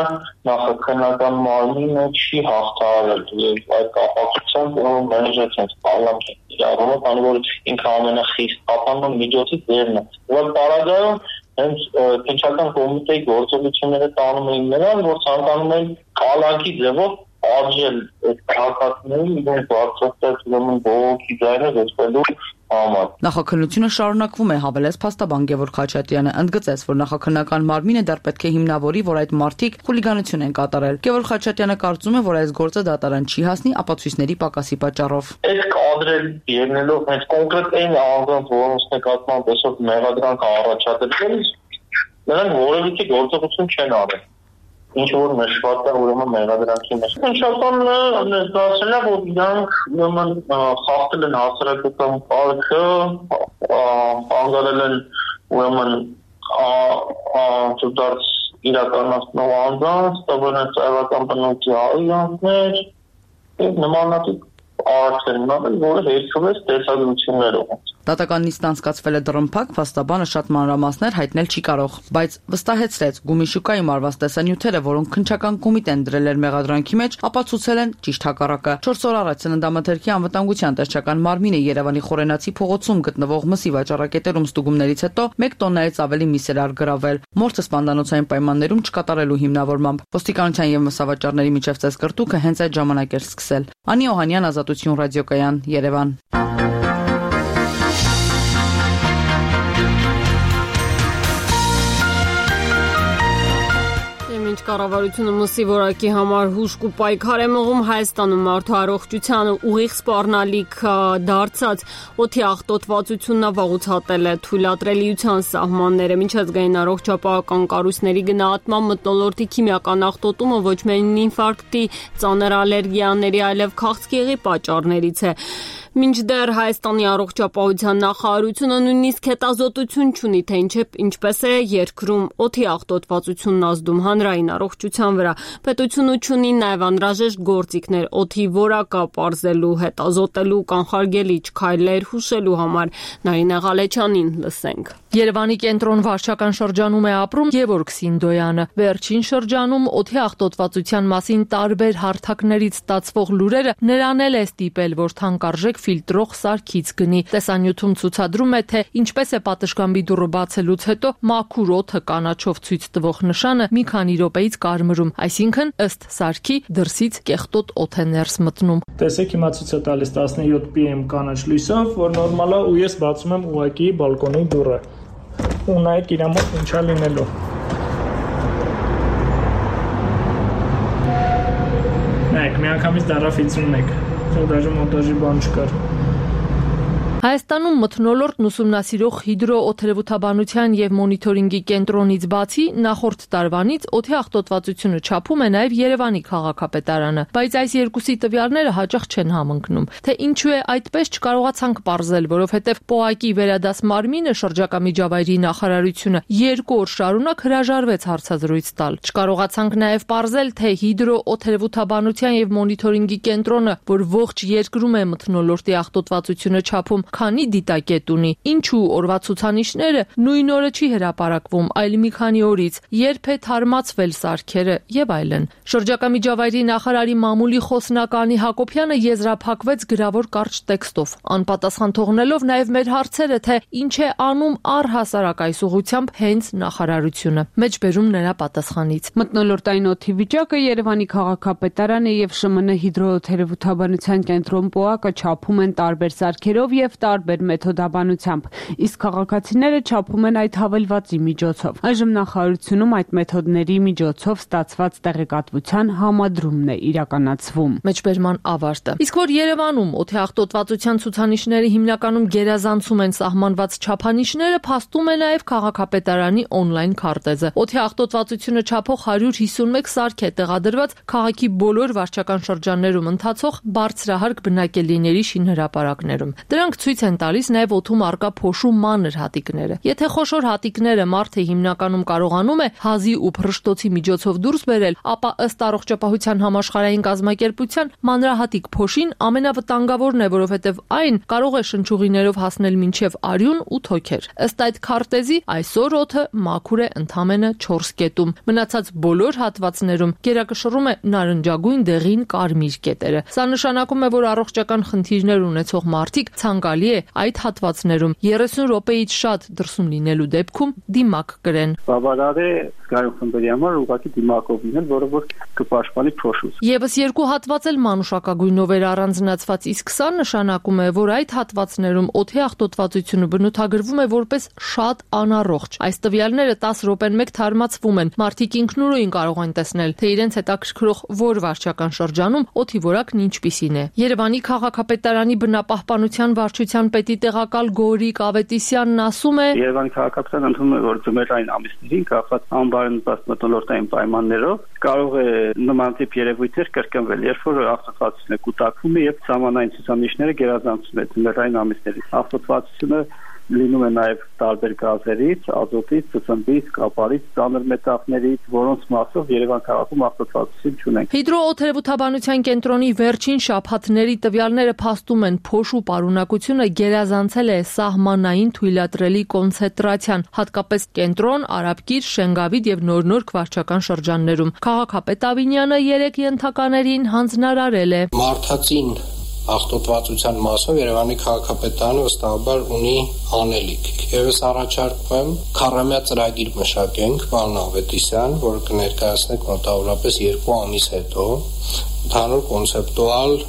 նախաքննական մարմինը չի հաղթահարել եւ այդ կապակցությամբ մերժեցին parlamenti իրավունքը, քանի որ ինքը ամենախիստ ապանման միջոցից դերն է։ Որ պարագայում հենց քննչական կոմիտեի գործողությունները տանում էին նրան, որ ցանկանում են կալանքի ձևով արժել այդ քաղաքացիներին իրենց բարձրացած ուրեմն բողոքի ձայնը դեպելու համար։ Նախաքննությունը շարունակվում է, հավելեց փաստաբան Գևորգ Խաչատրյանը, ընդգծեց, որ նախաքննական մարմինը դեռ պետք է հիմնավորի, որ այդ մարդիկ խուլիգանություն են կատարել։ Գևորգ Խաչատրյանը կարծում է, որ այս գործը դատարան չի հասնի ապացույցների պակասի պատճառով։ Այդ կադրել ելնելով հենց կոնկրետ այն անձանց, որոնց նկատմամբ այսօր մեղադրանք առաջադրվել, նրանք որևիցե գործողություն չեն արել։ Ինչ որ նշված է ուրեմն մեղադրանքի մեջ։ Քննչականն ներկայացրել է, որ իրանք ուրեմն խախտել են հասարակական կարգը, անգարել են ուրեմն ծուտած իրականացնող անձանց, տվել են ծայրական բնույթի այրանքներ եւ նմանատիպ արարքներ անել, որը հերքվել է տեսագրություններով։ Դատական նիստն անցկացվել է դռնփակ, փաստաբանը շատ մանրամասներ հայտնել չի կարող, բայց վստահեցրեց Գումիշուկայում արված տեսանյութերը, որոնք քննչական կոմիտեն դրել էր մեղադրանքի մեջ, ապացուցել են ճիշտ հակառակը։ 4 օր առաջ Ծննդամթերքի անվտանգության տեսչական մարմինը Երևանի Խորենացի փողոցում գտնվող մսի վաճառակետերում ստուգումներից հետո 1 տոննայից ավելի միս էր առգրավել։ Մորթը սպանդանոցային պայմաններում չկատարելու հիմնավորմամբ։ Ոստիկանության եւ մսավաճառների միջև ծեսկրտուքը հենց այդ ժամանակ էր սկսել։ Անի Օհանյան, Ազատություն ռադիոկայան, Երևան։ Մինչ կառավարությունը մսի որակի համար հուժկ ու պայքար է մղում, Հայաստանում մարդու առողջությանը ուղիղ սպառնալիք դարձած օդի աղտոտվածությունն վաղուց է թույլատրելիության սահմանները։ Միջազգային առողջապահական կառույցների գնահատմամբ մթնոլորտի քիմիական աղտոտումը ոչ միայն ինֆարկտի, ծանր ալերգիաների, այլև քաղցկեղի պատճառներից է։ Մինչդեռ Հայաստանի առողջապահության նախարարությունը նույնիսկ հետազոտություն չունի, թե ինչպես է երկրում օդի աղտոտվածությունն ազդում հանրային առողջության վրա։ Պետությունը չունի նաև անհրաժեշտ գործիքներ օդի որակը պարզելու, հետազոտելու, կանխարգելիչ քայլեր հուշելու համար։ Նարինե Ղալեչյանին լսենք։ Երևանի կենտրոն վարչական շրջանում է ապրում Գևորգ Սինդոյանը։ Վերջին շրջանում օդի աղտոտվածության մասին տարբեր հարթակներից ստացվող լուրերը նրան էլ է ստիպել, որ թանկարժեք ֆիլտրող սարքից գնի։ Տեսանյութում ցուցադրում է, թե ինչպես է պատշգամբի դուռը բացելուց հետո մաքուր օդը կանաչով ցույց տվող նշանը մի քանի րոպեից կարմրում, այսինքն ըստ սարքի դրսից կեղտոտ օդ է ներս մտնում։ Տեսեք, հիմա ցույց է տալիս 17 pm կանաչ լույսով, որ նորմալ է, ու ես բացում եմ ուղղակի բալկոնի դուռը։ Ու նայեք իր մոտ ինչա լինելու։ Նայեք, միանգամից դարավ 51։ Даже մոնտաժի բան չկար։ Հայաստանում մթնոլորտն ուսումնասիրող հիդրոօթերևութաբանության եւ մոնիթորինգի կենտրոնից բացի նախորդ տարվանից օդի աղտոտվածությունը չափում է նաեւ Երևանի քաղաքապետարանը, բայց այս երկուսի տվյալները հաճախ չեն համընկնում։ Թե ինչու է այդպես չկարողացանք պարզել, որովհետեւ ՊՕԱԿ-ի վերադաս մարմինը շրջակա միջավայրի նախարարությունը 2 օր շարունակ հրաժարվեց հարցազրույց տալ։ Չկարողացանք նաեւ պարզել, թե հիդրոօթերևութաբանության եւ մոնիթորինգի կենտրոնը, որ ողջ երկրում է մթնոլորտի աղտոտվածությունը չափում, քանի դիտակետ ունի, ինչու օրվա ցուցանիշները նույն օրը չի հրապարակվում, այլ մի քանի օրից, երբ է թարմացվել սարքերը եւ այլն։ Շրջակա միջավայրի նախարարի մամուլի խոսնականի Հակոբյանը եզրափակվեց գրավոր կարճ տեքստով, անպատասխան թողնելով նաեւ մեր հարցերը, թե ինչ է անում առհասարակ այս ուղղությամբ հենց նախարարությունը։ Մեջբերում նրա պատասխանից։ Մթնոլորտային օդի վիճակը Երևանի քաղաքապետարանը եւ ՇՄՆ հիդրոօթերևութաբանության կենտրոն ՊՕԱԿ-ը չափում են տարբեր սարքերով եւ տարբեր մեթոդաբանությամբ, իսկ քաղաքացիները չափում են այդ հավելվածի միջոցով։ Այժմ նախարարությունում այդ մեթոդների միջոցով ստացված տեղեկատվության համադրումն է իրականացվում։ Մեջբերման ավարտը։ Իսկ որ Երևանում օդի աղտոտվածության ցուցանիշները հիմնականում գերազանցում են սահմանված չափանիշները, փաստում է նաեւ քաղաքապետարանի on-line քարտեզը։ Օդի աղտոտվածությունը չափող 151 սարք է տեղադրված քաղաքի բոլոր վարչական շրջաններում ընթացող բարձրահարկ բնակելի շինհրապարակներում։ Դրանք ցույց են տալիս նաև օդում առկա փոշու մանր հատիկները։ Եթե խոշոր հատիկները մարդը հիմնականում կարողանում է հազի ու փռշտոցի միջոցով դուրս բերել, ապա ըստ առողջապահության համաշխարհային կազմակերպության մանրահատիկ փոշին ամենավտանգավորն է, որովհետև այն կարող է շնչուղիներով հասնել մինչև արյուն ու թոքեր։ Ըստ այդ քարտեզի այսօր օդը մաքուր է ընդամենը 4 կետում։ Մնացած բոլոր հատվածներում գերակշռում է նարնջագույն դեղին կարմիր կետերը։ Սա նշանակում է, որ առողջական խնդիրներ ունեցող մարդիկ ցանկալի է այդ հատվածներում 30 րոպեից շատ դրսում լինելու դեպքում դիմակ կրեն։ Բավարար է զգայուն խմբերի համար ուղղակի դիմակով լինել, որը որ կպաշտպանի փոշուց։ Եվս երկու հատված էլ մանուշակագույնով էր առանձնացված, իսկ սա նշանակում է, որ այդ հատվածներում օդի աղտոտվածությունը բնութագրվում է որպես շատ անառողջ։ Այս տվյալները 10 րոպեն մեկ թարմացվում են։ Մարդիկ ինքնուրույն կարող են տեսնել, թե իրենց հետաքրքրող որ վարչական շրջանում օդի որակն ինչպիսին է։ Երևանի քաղաքապետարանի բնապահպանության վարչության պետի տեղակալ Գորիկ Ավետիսյանն ասում է. Երևանի քաղաքապետարանը ընդունում է, որ ձմեռային ամիսներին կապված անբարենպաստ մթնոլորտային պայմաններով կարող է նման տիպ երևույթներ կրկնվել, երբ որ աղտոտվածությունը կուտակվում է եւ սահմանային ցուցանիշները գերազանցում են ձմեռային ամիսներին։ Աղտոտվածությունը լինում է նաև տարբեր գազերից, ազոտից, ծծմբից, կապարից, ծանր մետաղներից, որոնց մասով Երևան քաղաքում աղտոտվածություն չունենք։ Հիդրոօթերևութաբանության կենտրոնի վերջին շաբաթների տվյալները փաստում են, փոշու պարունակությունը գերազանցել է սահմանային թույլատրելի կոնցենտրացիան, հատկապես կենտրոն, Արաբկիր, Շենգավիթ եւ Նոր վարչական շրջաններում։ Քաղաքապետ Ավինյանը 3 ենթականերին հանձնարարել է. Մարդածին աղտոտվածության մասով Երևանի քաղաքապետարանը վստահաբար ունի անելիք։ Եվս առաջարկում եմ քառամյա ծրագիր մշակենք, պարոն Ավետիսյան, որը կներկայացնենք մոտավորապես 2 ամիս հետո, ընդհանուր կոնցեպտուալ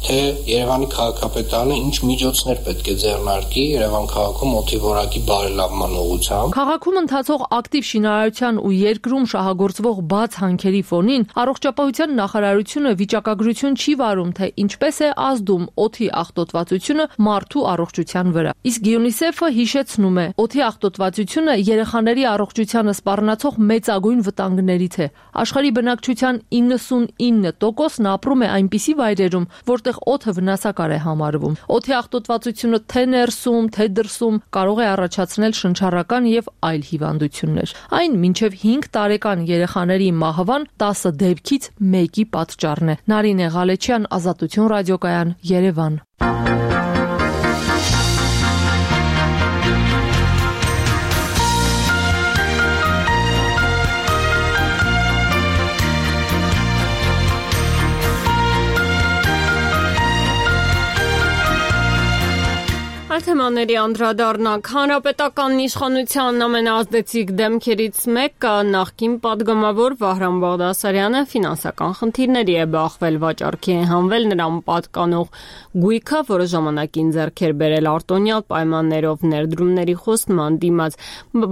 թե Երևանի քաղաքապետարանը ինչ միջոցներ պետք է ձեռնարկի Երևան քաղաքում օդի որակի բարելավման ուղղությամբ։ Քաղաքում ընթացող ակտիվ շինարարության ու երկրում շահագործվող բաց հանքերի ֆոնին առողջապահության նախարարությունը վիճակագրություն չի վարում, թե ինչպես է ազդում օդի աղտոտվածությունը մարդու առողջության վրա։ Իսկ UNICEF-ը հիշեցնում է, օդի աղտոտվածությունը երեխաների առողջությանը սպառնացող մեծագույն վտանգներից է։ Աշխարհի բնակչության 99%-ն ապրում է այնպիսի վայրերում, որտեղ օդը վնասակար է համարվում։ Օդի աղտոտվածությունը թե ներսում, թե դրսում կարող է առաջացնել շնչառական եւ այլ հիվանդություններ։ Այն մինչեւ 5 տարեկան երեխաների մահվան 10 դեպքից 1-ի պատճառն է։ Նարինե Ղալեչյան, Ազատություն ռադիոկայան, Երևան։ Այլ թեմաների անդրադառնանք։ Հանրապետական իշխանության ամենաազդեցիկ դեմքերից մեկը նախկին պատգամավոր Վահրամ Բաղդասարյանը ֆինանսական խնդիրների է բախվել, վաճառքի է հանվել նրան պատկանող գույքը, որը ժամանակին ձեռք էր բերել արտոնյալ պայմաններով ներդրումների խոստման դիմաց,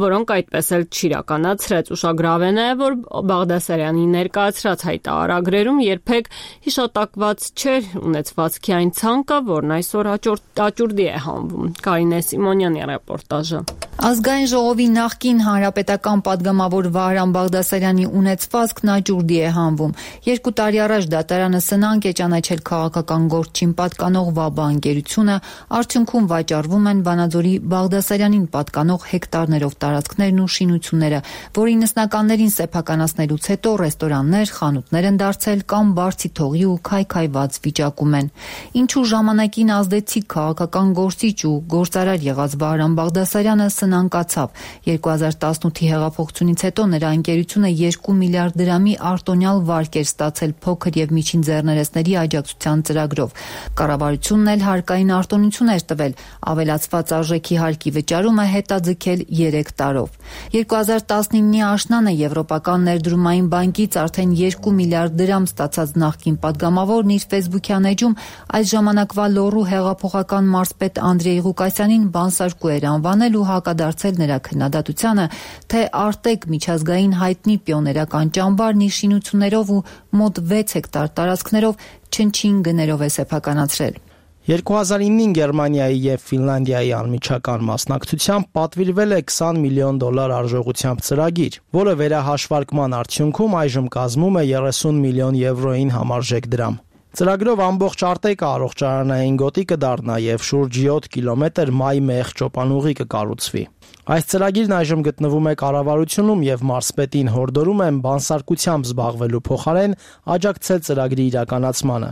որոնք այդպես էլ չիրականացրեց։ Ուշագրավ է նաև, որ Բաղդասարյանի ներկայացրած հայտարարագրերում երբեք հիշատակված չէր ունեցվածքի այն ցանկը, որն այսօր աճուրդի է հանվում։ Կարինե Սիմոնյանի ռեպորտաժը։ Ազգային ժողովի նախկին հանրապետական պատգամավոր Վահրամ Բաղդասարյանի ունեցվածքն աճուրդի է հանվում։ 2 տարի առաջ դատարանը սնանկ է ճանաչել քաղաքական գործին պատկանող ՎԱԲԱ ընկերությունը, արդյունքում վաճառվում են Վանաձորի Բաղդասարյանին պատկանող հեկտարներով տարածքներն ու շինությունները, որի նսնականներին սեփականացնելուց հետո ռեստորաններ, խանութներ են դարձել կամ բարձի թողի ու քայքայված վիճակում են։ Ինչու ժամանակին ազդեցիկ քաղաքական գործիչ ու գործարար եղած Վահրամ Բաղդասարյանը սնանկացավ։ 2018-ի հեղափոխությունից հետո նրա ընկերությունը 2 միլիարդ դրամի արտոնյալ վարկ էր ստացել փոքր եւ միջին ձեռներեցների աջակցության ծրագրով։ Կառավարությունն էլ հարկային արտոնություն էր տվել, ավելացված արժեքի հարկի վճարումը հետաձգել 3 տարով։ 2019-ի աշնանը Եվրոպական ներդրումային բանկից արդեն 2 միլիարդ դրամ ստացած նախկին պատգամավորն իր Facebook-յան էջում այս ժամանակվա լոռու հեղափոխական մարզպետ Անդրեյ Ղուկասյանին բանսարկու էր անվանել ու հակադարձել նրա քննադատությանը, թե Արտեկ միջազգային հայտնի պիոներական ճամբարն իր շինություններով ու մոտ 6 հեկտար տարածքներով չնչին գներով է սեփականացրել։ 2009-ին Գերմանիայի եւ Ֆինլանդիայի անմիջական մասնակցությամբ պատվիրվել է $20 միլիոն արժողությամբ ծրագիր, որը վերահաշվարկման արդյունքում այժմ կազմում է 30 միլիոն եվրոին համարժեք դրամ։ Ծրագրով ամբողջ Արտեկը առողջարանային գոտի կդառնա եւ շուրջ 7 կիլոմետր մայ-մեղ ճոպանուղի կկառուցվի։ Այս ծրագիրն այժմ գտնվում է կառավարությունում եւ մարզպետին հորդորում են բանսարկությամբ զբաղվելու փոխարեն աջակցել ծրագրի իրականացմանը։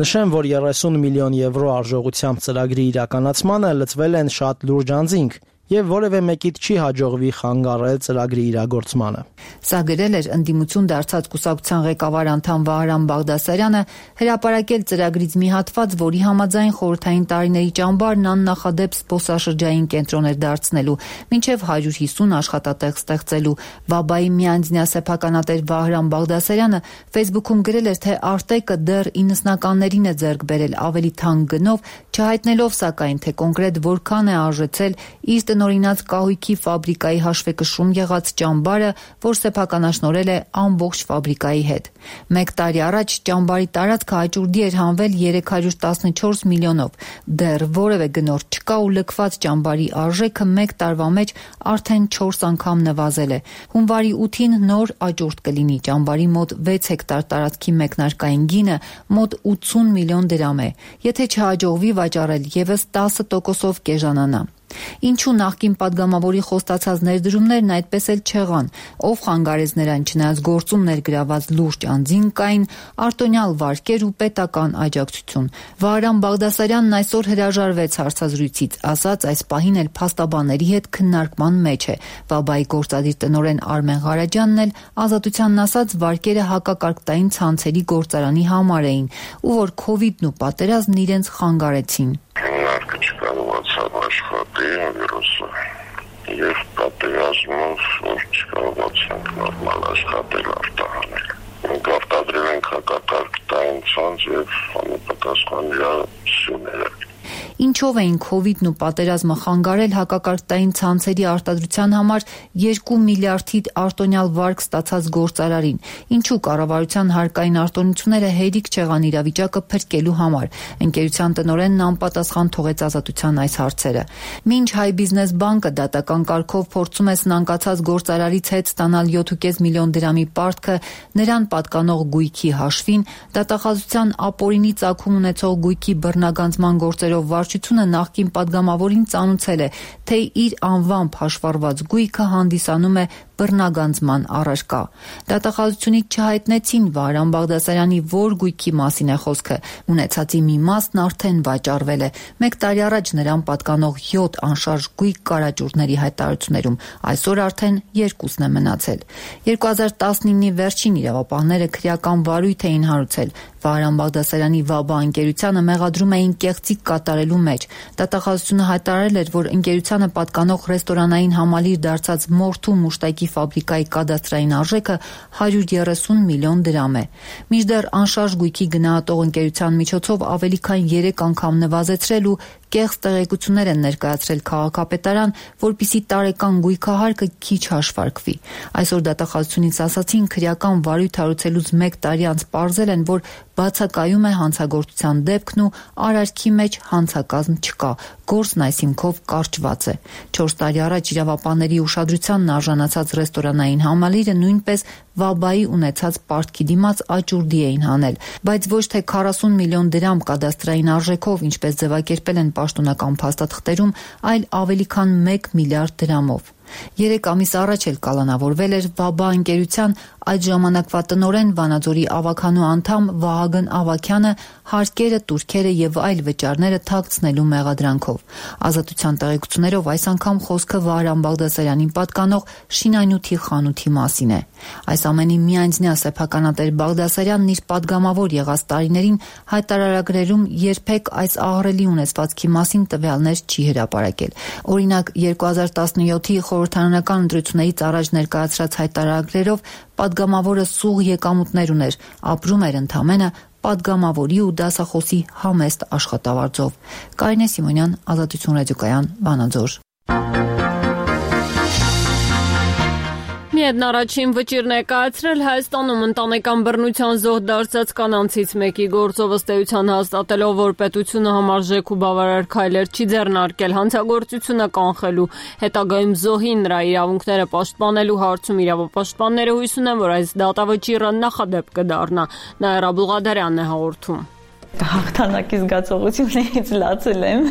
Նշեմ, որ 30 միլիոն եվրո արժողությամբ ծրագրի իրականացմանը լծվել են շատ լուրջ անձինք եւ որևէ մեկիդ չի հաջողվի խանգարել ծրագրի իրագործմանը։ Սա գրել էր ընդդիմություն դարձած կուսակցության ղեկավար անդամ Վահրամ Բաղդասարյանը, հրապարակել ծրագրից մի հատված, որի համաձայն խորհրդային տարիների ճամբարն աննախադեպ զբոսաշրջային կենտրոն էր դարձնելու, մինչև 150 աշխատատեղ ստեղծելու։ ՎԱԲԱ-ի միանձնյա սեփականատեր Վահրամ Բաղդասարյանը Facebook-ում գրել էր, թե Արտեկը դեռ 90-ականներին է ձեռք բերել ավելի թանկ գնով, չհայտնելով սակայն, թե կոնկրետ որքան է արժեցել իր տնօրինած կահույքի ֆաբրիկայի հաշվեկշռում եղած ճամբարը, որ սեփականաշնորհել է ամբողջ ֆաբրիկայի հետ։ 1 տարի առաջ ճամբարի տարածքը աճուրդի էր հանվել 314 միլիոնով։ Դեռ որևէ գնորդ չկա ու լքված ճամբարի արժեքը 1 տարվա մեջ արդեն 4 անգամ նվազել է։ Հունվարի 8-ին նոր աճուրդ կլինի։ Ճամբարի մոտ 6 հեկտար տարածքի մեկնարկային գինը մոտ 80 միլիոն դրամ է։ Եթե չհաջողվի վաճառել, եւս 10%-ով կեժանանա։ Ինչու նախկին պատգամավորի խոստացած ներդրումներն այդպես էլ չեղան, ով խանգարեց նրան, չնայած գործում ներգրաված լուրջ անձին կային արտոնյալ վարկեր ու պետական աջակցություն։ Վահրամ Բաղդասարյանն այսօր հրաժարվեց հարցազրույցից, ասաց այս պահին էլ փաստաբանների հետ քննարկման մեջ է։ ՎԱԲԱ-ի գործադիր տնօրեն Արմեն Ղարաջյանն էլ Ազատությանն ասաց, վարկերը հակակարգտային ցանցերի գործարանի համար էին, ու որ քովիդն ու պատերազմն իրենց խանգարեցին։ Չկարողացավ աշխատել վիրուսը եւ պատերազմով որ չկարողացանք նորմալ աշխատել արտահանել։ Մենք արտադրել ենք հակակարգտային ցանց եւ անպատասխան իրացումներ։ Ինչով էին քովիդն ու պատերազմը խանգարել հակակարգտային ցանցերի արտադրության համար 2 միլիարդի արտոնյալ վարկ ստացած գործարարին։ Ինչու կառավարության հարկային արտոնությունները հերիք չեղան իրավիճակը փրկելու համար։ Ընկերության տնօրենն անպատասխան թողեց Ազատության այս հարցերը։ Մինչ Հայ բիզնես բանկը դատական կարգով փորձում է սնանկացած գործարարից հետ ստանալ 7.5 միլիոն դրամի պարտքը նրան պատկանող գույքի հաշվին, դատախազության ապօրինի ծագում ունեցող գույքի բռնագանձման գործերով վարչությունը նախկին պատգամավորին ծանուցել է, թե իր անվամբ հաշվառված գույքը հանդիսանում է բռնագանձման առարկա։ Դատախազությունից չհայտնեցին Վահրամ Բաղդասարյանի որ գույքի մասին է խոսքը, ունեցածի մի մասն արդեն վաճառվել է։ 1 տարի առաջ նրան պատկանող 7 անշարժ գույք կարաճուրների հայտարարություններում, այսօր արդեն 2-ն է մնացել։ 2019-ի վերջին իրավապահները քրեական վարույթ էին հարուցել։ Վահրամ Բաղդասարյանի ՎԱԲԱ ընկերությանը մեղադրում էին կեղծիք կատարելու մեջ։ Դատախազությունը հայտարարել էր, որ ընկերությանը պատկանող ռեստորանային համալիր դարձած մորթու մուշտակի ֆաբրիկայի կադաստրային արժեքը 130 միլիոն դրամ է։ Մինչդեռ անշարժ գույքի գնահատող ընկերության միջոցով ավելի քան 3 անգամ նվազեցրել ու կեղծ տեղեկություններ են ներկայացրել քաղաքապետարան, որպիսի տարեկան գույքահարկը քիչ հաշվարկվի։ Այսօր դատախազությունից ասացին, քրեական վարույթ հարուցելուց 1 տարի անց պարզել են, որ բացակայում է հանցագործության դեպքն ու արարքի մեջ հանցակազմ չկա, գործն այսինքով կարճված է։ 4 տարի առաջ իրավապահների ուշադրությանն արժանացած ռեստորանային համալիրը նույնպես ՎԱԲԱ-ի ունեցած պարտքի դիմաց աճուրդի էին հանել, բայց ոչ թե 40 միլիոն դրամ կադաստրային արժեքով, ինչպես ձևակերպել են պաշտոնական փաստաթղթերում, այլ ավելի քան 1 միլիարդ դրամով։ 3 ամիս առաջ էլ կալանավորվել էր ՎԱԲԱ ընկերության այդ ժամանակվա տնօրեն Վանաձորի ավագանու անդամ Վահագն Ավագյանը հարկերը, տուրքերը եւ այլ վճարները թաքցնելու մեղադրանքով։ Ազատության տեղեկություններով այս անգամ խոսքը Վահրամ Բաղդասարյանին պատկանող շինանյութի խանութի մասին է։ Այս ամենի միանձնյա սեփականատեր Բաղդասարյանն իր падգամավոր եղած տարիներին հայտարարագրերում երբեք այս ահռելի ունեցվածքի մասին տվյալներ չի հրապարակել։ Օրինակ 2017-ի խորհրդարանական ընտրություններից առաջ ներկայացրած հայտարարագրերով падգամավորը սուղ եկամուտներ ուներ, ապրում էր ընդամենը падգամավորի ու դասախոսի համեստ աշխատավարձով։ Կարինե Սիմոնյան, Ազատություն ռադիոկայան, Վանաձոր։ Միեդն առաջին վճիռ ներկայացրել Հայաստանում ընտանեկան բռնության զոհ դարձած կանանցից մեկի գործով ըստ էության հաստատելով, որ պետությունը համարժեք ու բավարար քայլեր չի ձեռնարկել հանցագործությունը կանխելու, հետագայում զոհի նրա իրավունքները պաշտպանելու հարցում իրավապաշտպանները հույս ունեն, որ այս դատավճիռը նախադեպ կդառնա։ Նաիրա Բուղադարյանն է հաղորդում։ Հաղթանակի զգացողություններից լացել եմ։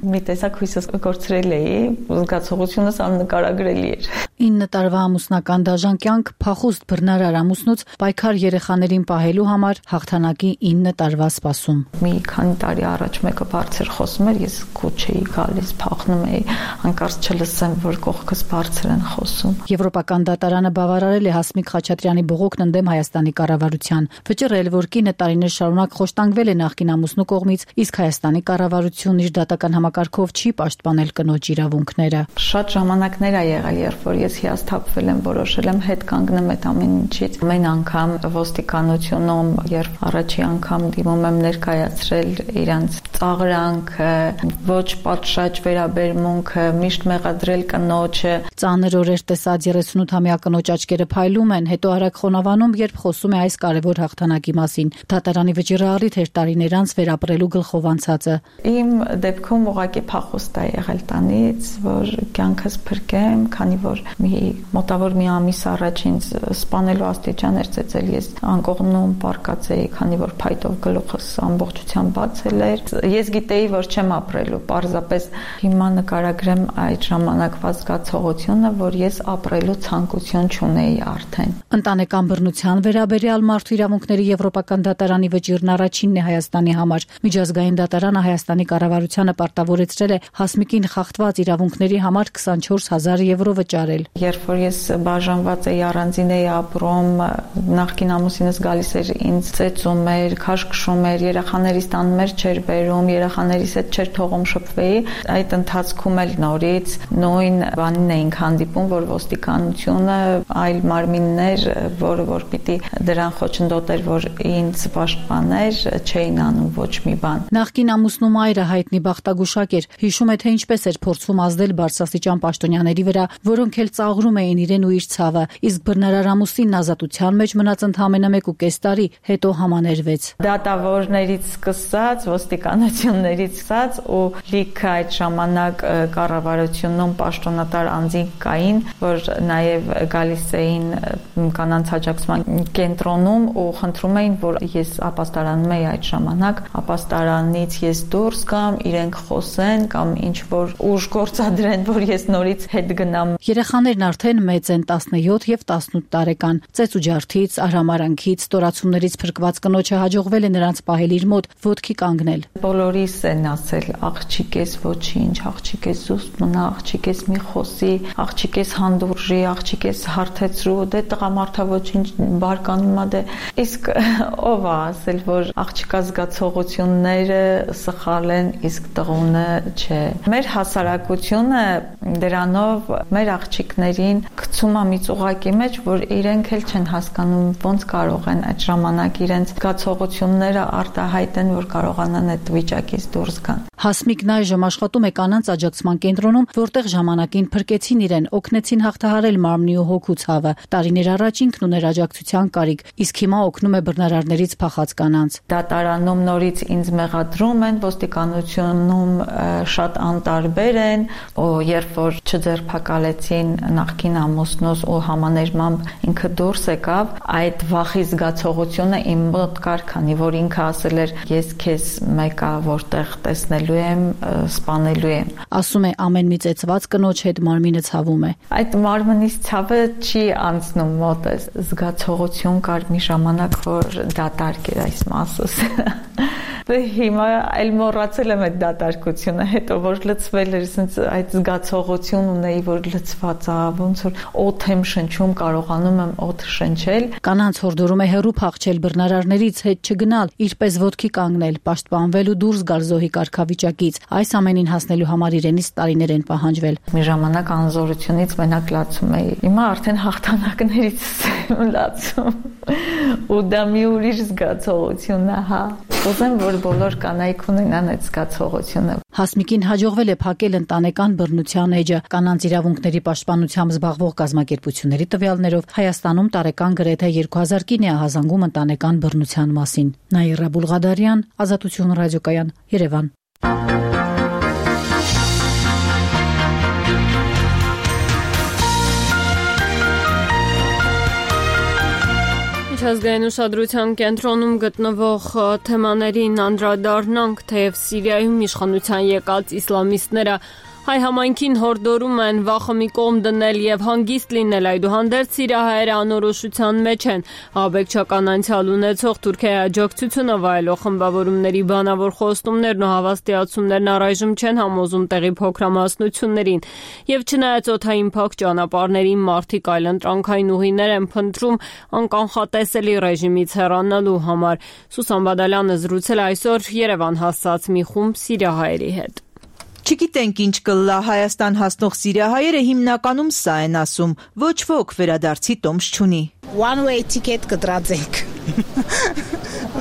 Մի տեսակ հույսս կորցրել էի, զգացողությունս աննկարագրելի էր։ 9 տարվա ամուսնական դաժան կյանք փախուստ բռնարար ամուսնուց պայքար երեխաներին պահելու համար հաղթանակի 9 տարվա սպասում։ Մի քանի տարի առաջ մեկը բարձր խոսում էր, ես քուչ էի գալիս, փախնում էի, հանկարծ չլսեմ, որ կողքս բարձր են խոսում։ Եվրոպական դատարանը բավարարել է Հասմիկ Խաչատրյանի բողոքն ընդդեմ Հայաստանի կառավարության, վճռել, որ կինը տարիներ շարունակ խոշտանգվել է նախկին ամուսնու կողմից, իսկ Հայաստանի կառավարությունն իր դատական համակարգով չի պաշտպանել կնոջ իրավունքները։ Շատ ժամանակներ ա եղել, երբ որ ես հիասթափվել եմ, որոշել եմ հետ կանգնեմ այդ ամեն ինչից։ Ամեն անգամ ոստիկանությունում, երբ առաջի անգամ դիմում եմ ներկայացրել իրանց ծաղրանքը, ոչ պատշաճ վերաբերմունքը, միշտ մեղադրել կնոջը։ Ծանր օրեր տեսած 38-ամյա կնոջ աչքերը փայլում են, հետո արագ խոնավանում, երբ խոսում է այս կարևոր հաղթանակի մասին։ Դատարանի վճիռը առիթ էր տարիներ անց վերապրելու գլխով անցածը։ Իմ դեպքում ուղղակի փախուստ է եղել տանից, որ կյանքս փրկեմ, քանի որ մոտավոր մի ամիս առաջ ինձ սպանելու աստիճան էր ծեծել, ես անկողնում պարկած էի, քանի որ փայտով գլուխս ամբողջությամբ բացել էր։ Ես գիտեի, որ չեմ ապրելու, պարզապես հիմա նկարագրեմ այդ ժամանակվա զգացողությունը, որ ես ապրելու ցանկություն չունեի արդեն։ Ընտանեկան բռնության վերաբերյալ մարդու իրավունքների եվրոպական դատարանի վճիռն առաջինն է Հայաստանի համար։ Միջազգային դատարանը Հայաստանի կառավարությանը պարտավորեցրել է Հասմիկին խախտված իրավունքների համար 24000 եվրո վճարել։ Երբ որ ես բաժանված էի, առանձին էի ապրում, նախկին ամուսինս գալիս էր ինձ ծեծում էր, քաշքշում էր, երեխաներիս տան մեր չէր բերում, երեխաներիս հետ չէր թողում շփվեի։ Այդ ընթացքում էլ նորից նույն բանին էինք հանդիպում, որ ոստիկանությունը այլ մարմիններ, որ պիտի դրան խոչընդոտեր, որ ինձ պաշտպաներ, չէին անում ոչ մի բան։ Նախկին ամուսնու մայրը հայտնի բախտագուշակ էր, հիշում է, թե ինչպես էր փորձում ազդել բարձրաստիճան պաշտոնյաների վրա, որոնք էլ ծաղրում էին իրեն ու իր ցավը, իսկ բռնարար ամուսինն ազատության մեջ մնաց ընդամենը 1.5 տարի, հետո համաներվեց։ Դատավորներից սկսած, ոստիկանություններից սկսած ու լիքը այդ ժամանակ կառավարությունում պաշտոնատար անձինք կային, որ նաև գալիս էին կանանց աջակցման կենտրոնում ու խնդրում էին, որ ես ապաստարանում էի այդ ժամանակ, ապաստարանից ես դուրս գամ, իրենք խոսեն կամ ինչ որ ուժ գործադրեն, որ ես նորից հետ գնամ։ Երեխաներն արդեն մեծ են 17 եւ 18 տարեկան։ Ծեծ ու ջարդից, արհամարանքից, ստորացումներից փրկված կնոջը հաջողվել է նրանց պահել իր մոտ, ոտքի կանգնել։ Բոլորիս են ասել, աղջիկ ես ոչինչ, աղջիկ ես զուսպ մնա, աղջիկ ես մի խոսի, աղջիկ ես հանդուրժի, աղջիկ ես հարթեցրու, դե տղամարդա ոչինչ բարկանում ա դե։ Իսկ ով է ասել, որ աղջիկա զգացողությունները սխալ են, իսկ տղունը չէ։ Մեր հասարակությունը դրանով մեր աղջիկներին գցում է մի ծուղակի մեջ, որ իրենք էլ չեն հասկանում ոնց կարող են այդ ժամանակ իրենց զգացողությունները արտահայտեն, որ կարողանան այդ վիճակից դուրս գան։ Հասմիկն այժմ աշխատում է կանանց աջակցման կենտրոնում, որտեղ ժամանակին փրկեցին իրեն, օգնեցին հաղթահարել մարմնի ու հոգու ցավը։ Տարիներ առաջ ինքն ուներ աջակցության կարիք, իսկ հիմա օգնում է բռնարարներից փախած կանանց։ Դատարանում նորից ինձ մեղադրում են, ոստիկանությունում շատ անտարբեր են, երբ որ չձերբակալեցին նախկին ամուսնուս ու համաներմամբ ինքը դուրս եկավ, այդ վախի զգացողությունը իմ մոտ կար, քանի որ ինքը ասել էր ես քեզ մեկա որտեղ տեսնելու եմ, սպանելու եմ։ Ասում է ամեն մի ծեծված կնոջ հետ մարմինը ցավում է։ Այդ մարմնից ցավը չի անցնում մոտս։ Զգացողություն կար մի ժամանակ, որ դատարկ էր այս մասս։ Հիմա այլ մոռացել եմ այդ դատարկությունը, հետո որ լցվել էր, ասենց այդ զգացողություն ունեի, որ լցված է, ոնց որ օդ եմ շնչում, կարողանում եմ օդ շնչել։ Կանանց հորդորում է հեռու փախչել բռնարարներից, հետ չգնալ, իրպես ոտքի կանգնել, պաշտպանվել ու դուրս գալ զոհի կարգավիճակից։ Այս ամենին հասնելու համար իրենից տարիներ են պահանջվել։ Մի ժամանակ անզորությունից մենակ լացում էի։ Հիմա արդեն հաղթանակներից եմ լացում։ Ու դա մի ուրիշ զգացողություն է, հա։ Ուզեմ, որ բոլոր կանայք ունենան այդ զգացողությունը։ Հասմիկին հաջողվել է փակել ընտանեկան բռնության էջը։ Կանանց իրավունքների պաշտպանությամբ զբաղվող կազմակերպությունների տվյալներով Հայաստանում տարեկան գրեթե 2000 կին է ահազանգում ընտանեկան բռնության մասին։ Նաիրա Բուլղադարյան, Ազատություն ռադիոկայան, Երևան։ Միջազգային ուշադրության կենտրոնում գտնվող թեմաներին անդրադառնանք, թեև Սիրիայում իշխանության եկած իսլամիստները հայ համայնքին հորդորում են վախը մի կողմ դնել եւ հանգիստ լինել, այդուհանդերձ սիրիահայերը անորոշության մեջ են։ Աբեկչական անցյալ ունեցող Թուրքիայի աջակցությունը վայելող խմբավորումների բանավոր խոստումներն ու հավաստիացումներն առայժմ չեն համոզում տեղի փոքրամասնություններին։ Եվ չնայած օդային փակ ճանապարհներին մարդիկ այլընտրանքային ուղիներ են փնտրում անկանխատեսելի ռեժիմից հեռանալու համար։ Սուսան Բադալյանը զրուցել այսօր Երևան հասած մի խումբ սիրիահայերի հետ։ Չգիտենք ինչ կլա Հայաստան հասնող սիրիահայերը հիմնականում սա են ասում, ոչ ոք վերադարձի տոմս չունի։ One way ticket կտրածենք։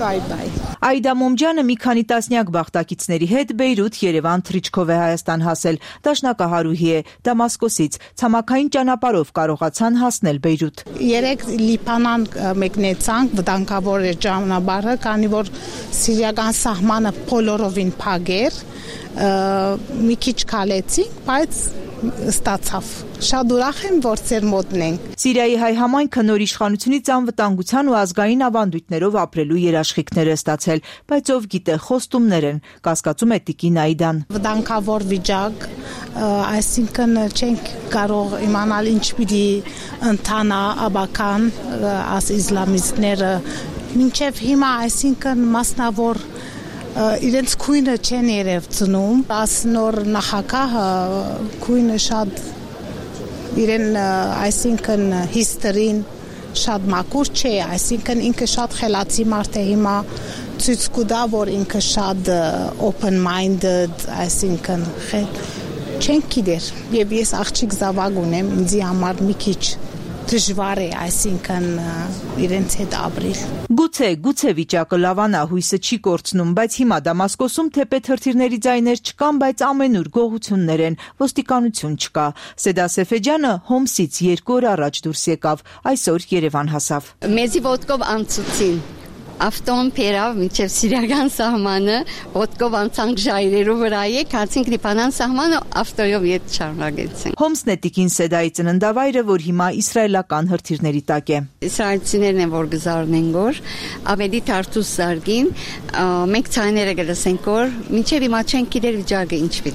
Bye. Այդա Մոմջյանը մի քանի տասնյակ բախտակիցների հետ Բեյրութ, Երևան, Թրիչկով է Հայաստան հասել, դաշնակահարուհի է, Դամասկոսից, ցամաքային ճանապարհով կարողացան հասնել Բեյրութ։ Երեք Լիբանան մեկնեցանք, վտանգավոր էր ճանապարհը, քանի որ սիրիական սահմանը բոլորովին փակ էր, մի քիչ քալեցինք, բայց ստացավ։ Շատ ուրախ եմ, որ ծեր մոտն ենք։ Սիրիայի հայ համայնքը նոր իշխանությունից անվտանգության ու ազգային ավանդույթներով ապրելու երաշխիքներ է ստացել, բայց ով գիտե, խոստումներ են, կասկածում է Տիկին Այդան։ Վտանգավոր վիճակ, այսինքն չենք կարող իմանալ ինչ պիտի ընթանա աբական աս իսլամիստները մինչև հիմա, այսինքն մասնավոր իրենց քույնը չեն երև ծնում, աս նոր նախագահը քույնը շատ իրեն, այսինքն հիստորին շատ մաքուր չէ, այսինքն ինքը շատ խելացի մարդ է հիմա ցույց կտա, որ ինքը շատ open minded, այսինքն չենք գիտեր, եւ ես աղջիկ զավակ ունեմ, ինձի համար մի քիչ դժվար է, այսինքն իրենց հետ ապրել։ Գուցե վիճակը լավանա, հույսը չի կորցնում, բայց հիմա Դամասկոսում թեպետ հրթիռների ձայներ չկան, բայց ամենուր գողություններ են, ոստիկանություն չկա։ Սեդա Սեֆեջյանը Հոմսից 2 օր առաջ դուրս եկավ, այսօր Երևան հասավ։ Մեզի ոտքով անցուցին, Ավտոն փերավ մինչև սիրիական սահմանը, ոտքով անցանք ժայռերու վրա եկացինք Լիբանան սահմանը, ավտոյով ետ շարունակեցինք։ Հոմսնետիկին Սեդայի ծննդավայրը, որ հիմա իսրայելական հրթիռների տակ է։ Իսրայելցիներն են, որ գզարնեն գոր, ավելի թարթուս զարգին, մենք ցայները գլսենք որ մինչև հիմա չենք գիտեր վիճակը ինչ պիտի։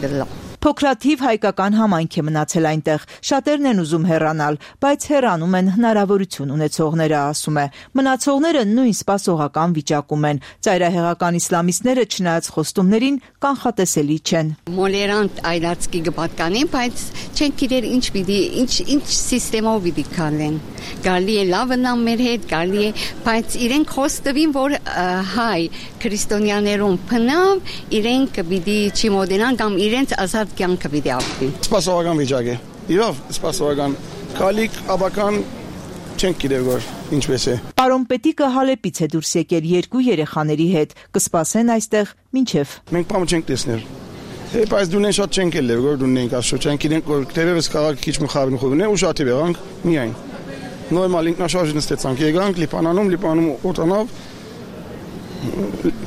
Փոքրաթիվ հայկական համայնք է մնացել այնտեղ։ Շատերն են ուզում հեռանալ, բայց հեռանում են հնարավորություն ունեցողները, ասում է։ Մնացողները նույն սպասողական վիճակում են։ Ծայրահեղական իսլամիստները չնայած խոստումներին կանխատեսելի չեն։ Մոլերանտ այլացքի գպատկանին, բայց չենք գիտեր ինչ պիտի, ինչ սիստեմով պիտի քալեն։ Գալի է լավնամ մեր հետ, գալի է, բայց իրենք խոստովին, որ հայ քրիստոնյաներուն փնավ, իրենք պիտի չմոդենան կամ իրենց ազատ կյանքը պիտի ապրի։ Սպասողական վիճակ է։ Իրավ, սպասողական կալիք աբական չենք գիտեր որ ինչպես է։ Պարոն Պետիկը Հալեպից է դուրս եկել 2 երեխաների հետ, կսպասեն այստեղ մինչև։ Մենք բամը չենք տեսնել։ Բայց դունեն շատ չենք ելել, որ դունենք ասո, չենք իրենք որ դերևս քաղաքը քիչ մխավին խոհն է ու շատ եղանք միայն։ Նորմալ ինքնաշարժ նստեցանք, եկանք Լիբանանում օտանավ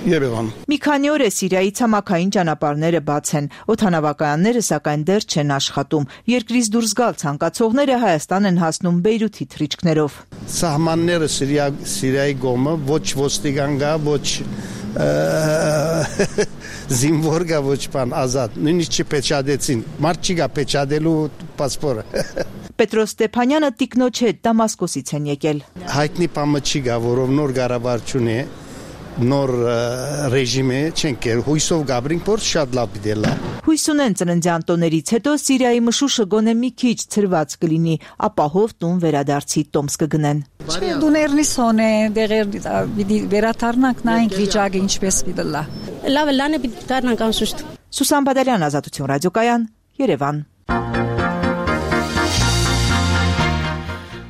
Եվան։ Մի քանի օր է Սիրիայի ցամաքային ճանապարհները բաց են, օդանավակայանները սակայն դեռ չեն աշխատում։ Երկրից դուրս գալ ցանկացողները Հայաստան են հասնում Բեյրութի թռիչքներով։ Սահմանները Սիրիայի կողմը ոչ ոստիկան գա, ոչ զինվոր գա, ոչ բան ազատ։ Նույնիսկ չպեչադեցին։ Մարդ չի գա պեչադելու պասպորը։ Պետրոս Ստեփանյանը տիկնոջ հետ Դամասկոսից են եկել։ Հայտնի բանը չի գա, որով նոր կառավարություն է, նոր ռեժիմ է, չենք կեր, հույսով գաբրինք, որ շատ լավ դելա։ Հույս ունեն ծննդյան տոներից հետո Սիրիայի մշուշը գոնե մի քիչ ցրված կլինի, ապահով տուն վերադարձի տոմս կգնեն։ Չէ, դուներնի սոնե, դեղեր վերաթարնանք նայենք վիճակը ինչպես պիտի լա։ Լավ լանը պիտի դառնանք անշուշտ։ Սուսան Բադալյան, Ազատություն ռադիոկայան, Երևան։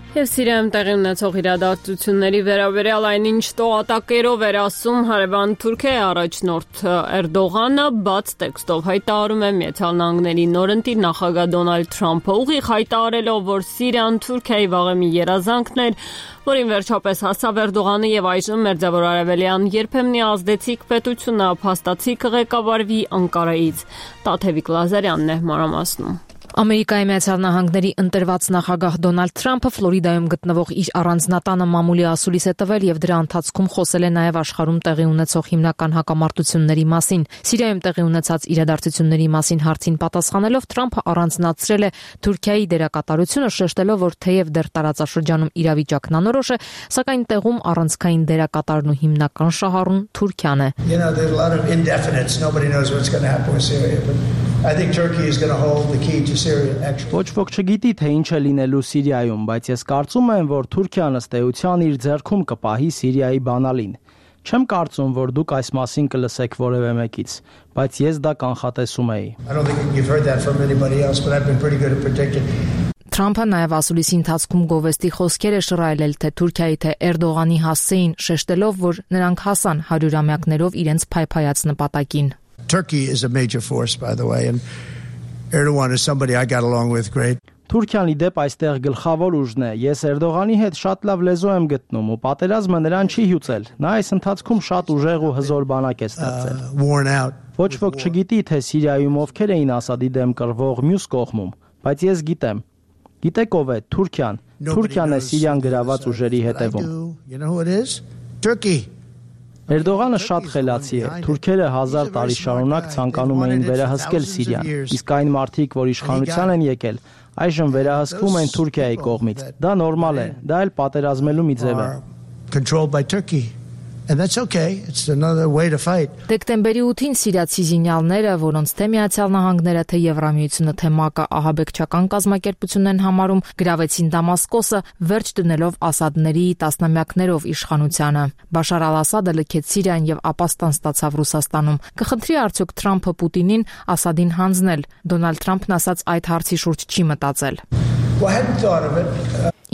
Եվ Սիրիայում տեղի ունեցող իրադարձությունների վերաբերյալ այնինչ տողատակերով էր ասում հարևան Թուրքիայի առաջնորդ Էրդողանը, բաց տեքստով հայտարարում է Միացյալ Նահանգների նորընտիր նախագահ Դոնալդ Թրամփը, ուղիղ հայտարարելով, որ Սիրիան Թուրքիայի վաղեմի երազանքն էր, որին վերջապես հասավ Էրդողանը եւ այժմ Մերձավոր Արևելյան երբեմնի ազդեցիկ պետությունը փաստացի կղեկավարվի Անկարայից։ Տաթևիկ Լազարյանն է մանրամասնում։ Ամերիկայի Միացյալ Նահանգների ընտրված նախագահ Դոնալդ Թրամփը Ֆլորիդայում գտնվող իր առանձնատանը մամուլի ասուլիս է տվել եւ դրա ընթացքում խոսել է նաեւ աշխարհում տեղի ունեցող հիմնական հակամարտությունների մասին։ Սիրիայում տեղի ունեցած իրադարձությունների մասին հարցին պատասխանելով Թրամփը առանձնացրել է Թուրքիայի դերակատարությունը, շեշտելով, որ թեև դեռ տարածաշրջանում իրավիճակն անորոշ է, սակայն տեղում առանցքային դերակատարն ու հիմնական շահառուն Թուրքիան է։ I think Turkey is going to hold the key to Syria actually. Ոչ ոք չգիտի թե ինչ է լինելու Սիրիայում, բայց ես կարծում եմ, որ Թուրքիան ըստ էության իր ձեռքում կպահի Սիրիայի բանալին։ Չեմ կարծում, որ դուք այս մասին կլսեք որևէ մեկից, բայց ես դա կանխատեսում էի։ I don't think you've heard that from anybody else, but I've been pretty good at predicting. Թրամփը նաև ասուլիսի ընթացքում գովեստի խոսքեր է շռայլել թե Թուրքիայի թե Էրդողանի հասցեին, շեշտելով, որ նրանք հասան 100-ամյակներով իրենց փայփայած նպատակին։ Turkey is a major force, by the way, and Erdogan is somebody I got along with great. Թուրքիան իդեպ այստեղ գլխավոր ուժն է։ Ես Էրդողանի հետ շատ լավ լեզու եմ գտնում ու պատերազմը նրան չի հյուծել։ Նա այս ընթացքում շատ ուժեղ ու հզոր բանակ է ստեղծել։ Ոչ ոք չգիտի թե Սիրիայում ովքեր էին Ասադի դեմ կռվող մյուս կողմում, բայց ես գիտեմ։ Գիտեք ով է Թուրքիան։ Թուրքիան է Սիրիան գրաված ուժերի հետևում։ You know who it is? Turkey. Էրդողանը շատ խելացի է։ Թուրքերը 1000 տարի շարունակ ցանկանում էին վերահսկել Սիրիան, իսկ այն մարդիկ, որ իշխանության են եկել, այժմ վերահսկվում են Թուրքիայի կողմից։ Դա նորմալ է, դա էլ պատերազմելու մի ձև է։ Controlled by Turkey. And that's okay. It's another way to fight. Դեկտեմբերի 8-ին սիրիացի զինյալները, որոնց թե Միացյալ Նահանգները, թե Եվրամիությունը, թե ՄԱԿ-ը ահաբեկչական կազմակերպություն են համարում, գրավեցին Դամասկոսը, վերջ դնելով Ասադների տասնամյակներով իշխանությանը։ Բաշար al-Ասադը լքեց Սիրիան եւ ապաստան ստացավ Ռուսաստանում։ Կխնդրի արդյոք Թրամփը Պուտինին Ասադին հանձնել։ Դոնալդ Թրամփն ասաց այդ հարցի շուրջ չի մտածել։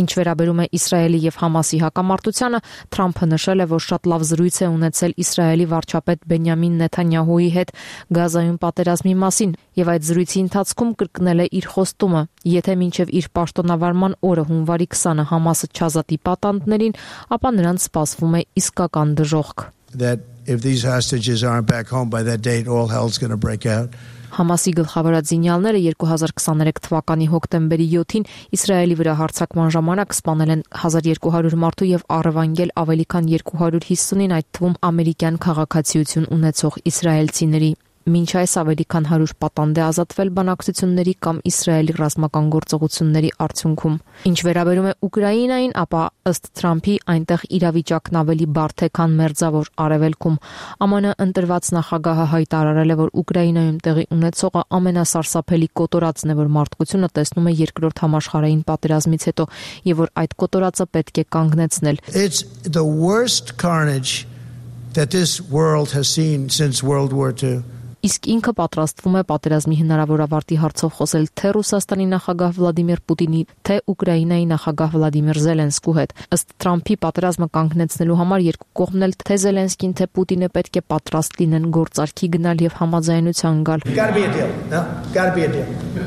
Ինչ վերաբերում է Իսրայելի եւ Համասի հակամարտությանը, Թրամփը նշել է, որ շատ լավ զրույց է ունեցել Իսրայելի վարչապետ Բենյամին Նեթանյահուի հետ Գազայում պատերազմի մասին եւ այդ զրույցի ընթացքում կրկնել է իր խոստումը. եթե մինչեւ իր պաշտոնավարման օրը հունվարի 20-ը Համասը չազատի պատանդներին, ապա նրանց սպասվում է իսկական դժոխք. That if these hostages aren't back home by that date, all hell's going to break out. Համասի գլխավորած զինյալները 2023 թվականի հոկտեմբերի 7-ին Իսրայելի վրա հարձակման ժամանակ սպանել են 1200 մարդու եւ առևանգել ավելի քան 250-ին, այդ թվում ամերիկյան քաղաքացիություն ունեցող իսրայելցիների։ Մինչ այս ավելի քան 100 պատանդ է ազատվել բանակցությունների կամ Իսրայելի ռազմական գործողությունների արդյունքում։ Ինչ վերաբերում է Ուկրաինային, ապա ըստ Թրամփի այնտեղ իրավիճակն ավելի բարդ է, քան մերձավոր Արևելքում։ ԱՄՆ ընտրված նախագահը հայտարարել է, որ Ուկրաինայում տեղի ունեցողը ամենասարսափելի կոտորածն է, որ մարդկությունը տեսնում է երկրորդ համաշխարհային պատերազմից հետո, եւ որ այդ կոտորածը պետք է կանգնեցնել։ It's the worst carnage that this world has seen since World War II. Իսկ ինքը պատրաստվում է պատերազմի հնարավոր ավարտի հարցով խոսել թե Ռուսաստանի նախագահ Վլադիմիր Պուտինի, թե Ուկրաինայի նախագահ Վլադիմիր Զելենսկու հետ։ Ըստ Թրամփի պատերազմը կանգնեցնելու համար երկու կողմն էլ թե Զելենսկին, թե Պուտինը պետք է պատրաստ լինեն գործարքի գնալ եւ համաձայնության գալ։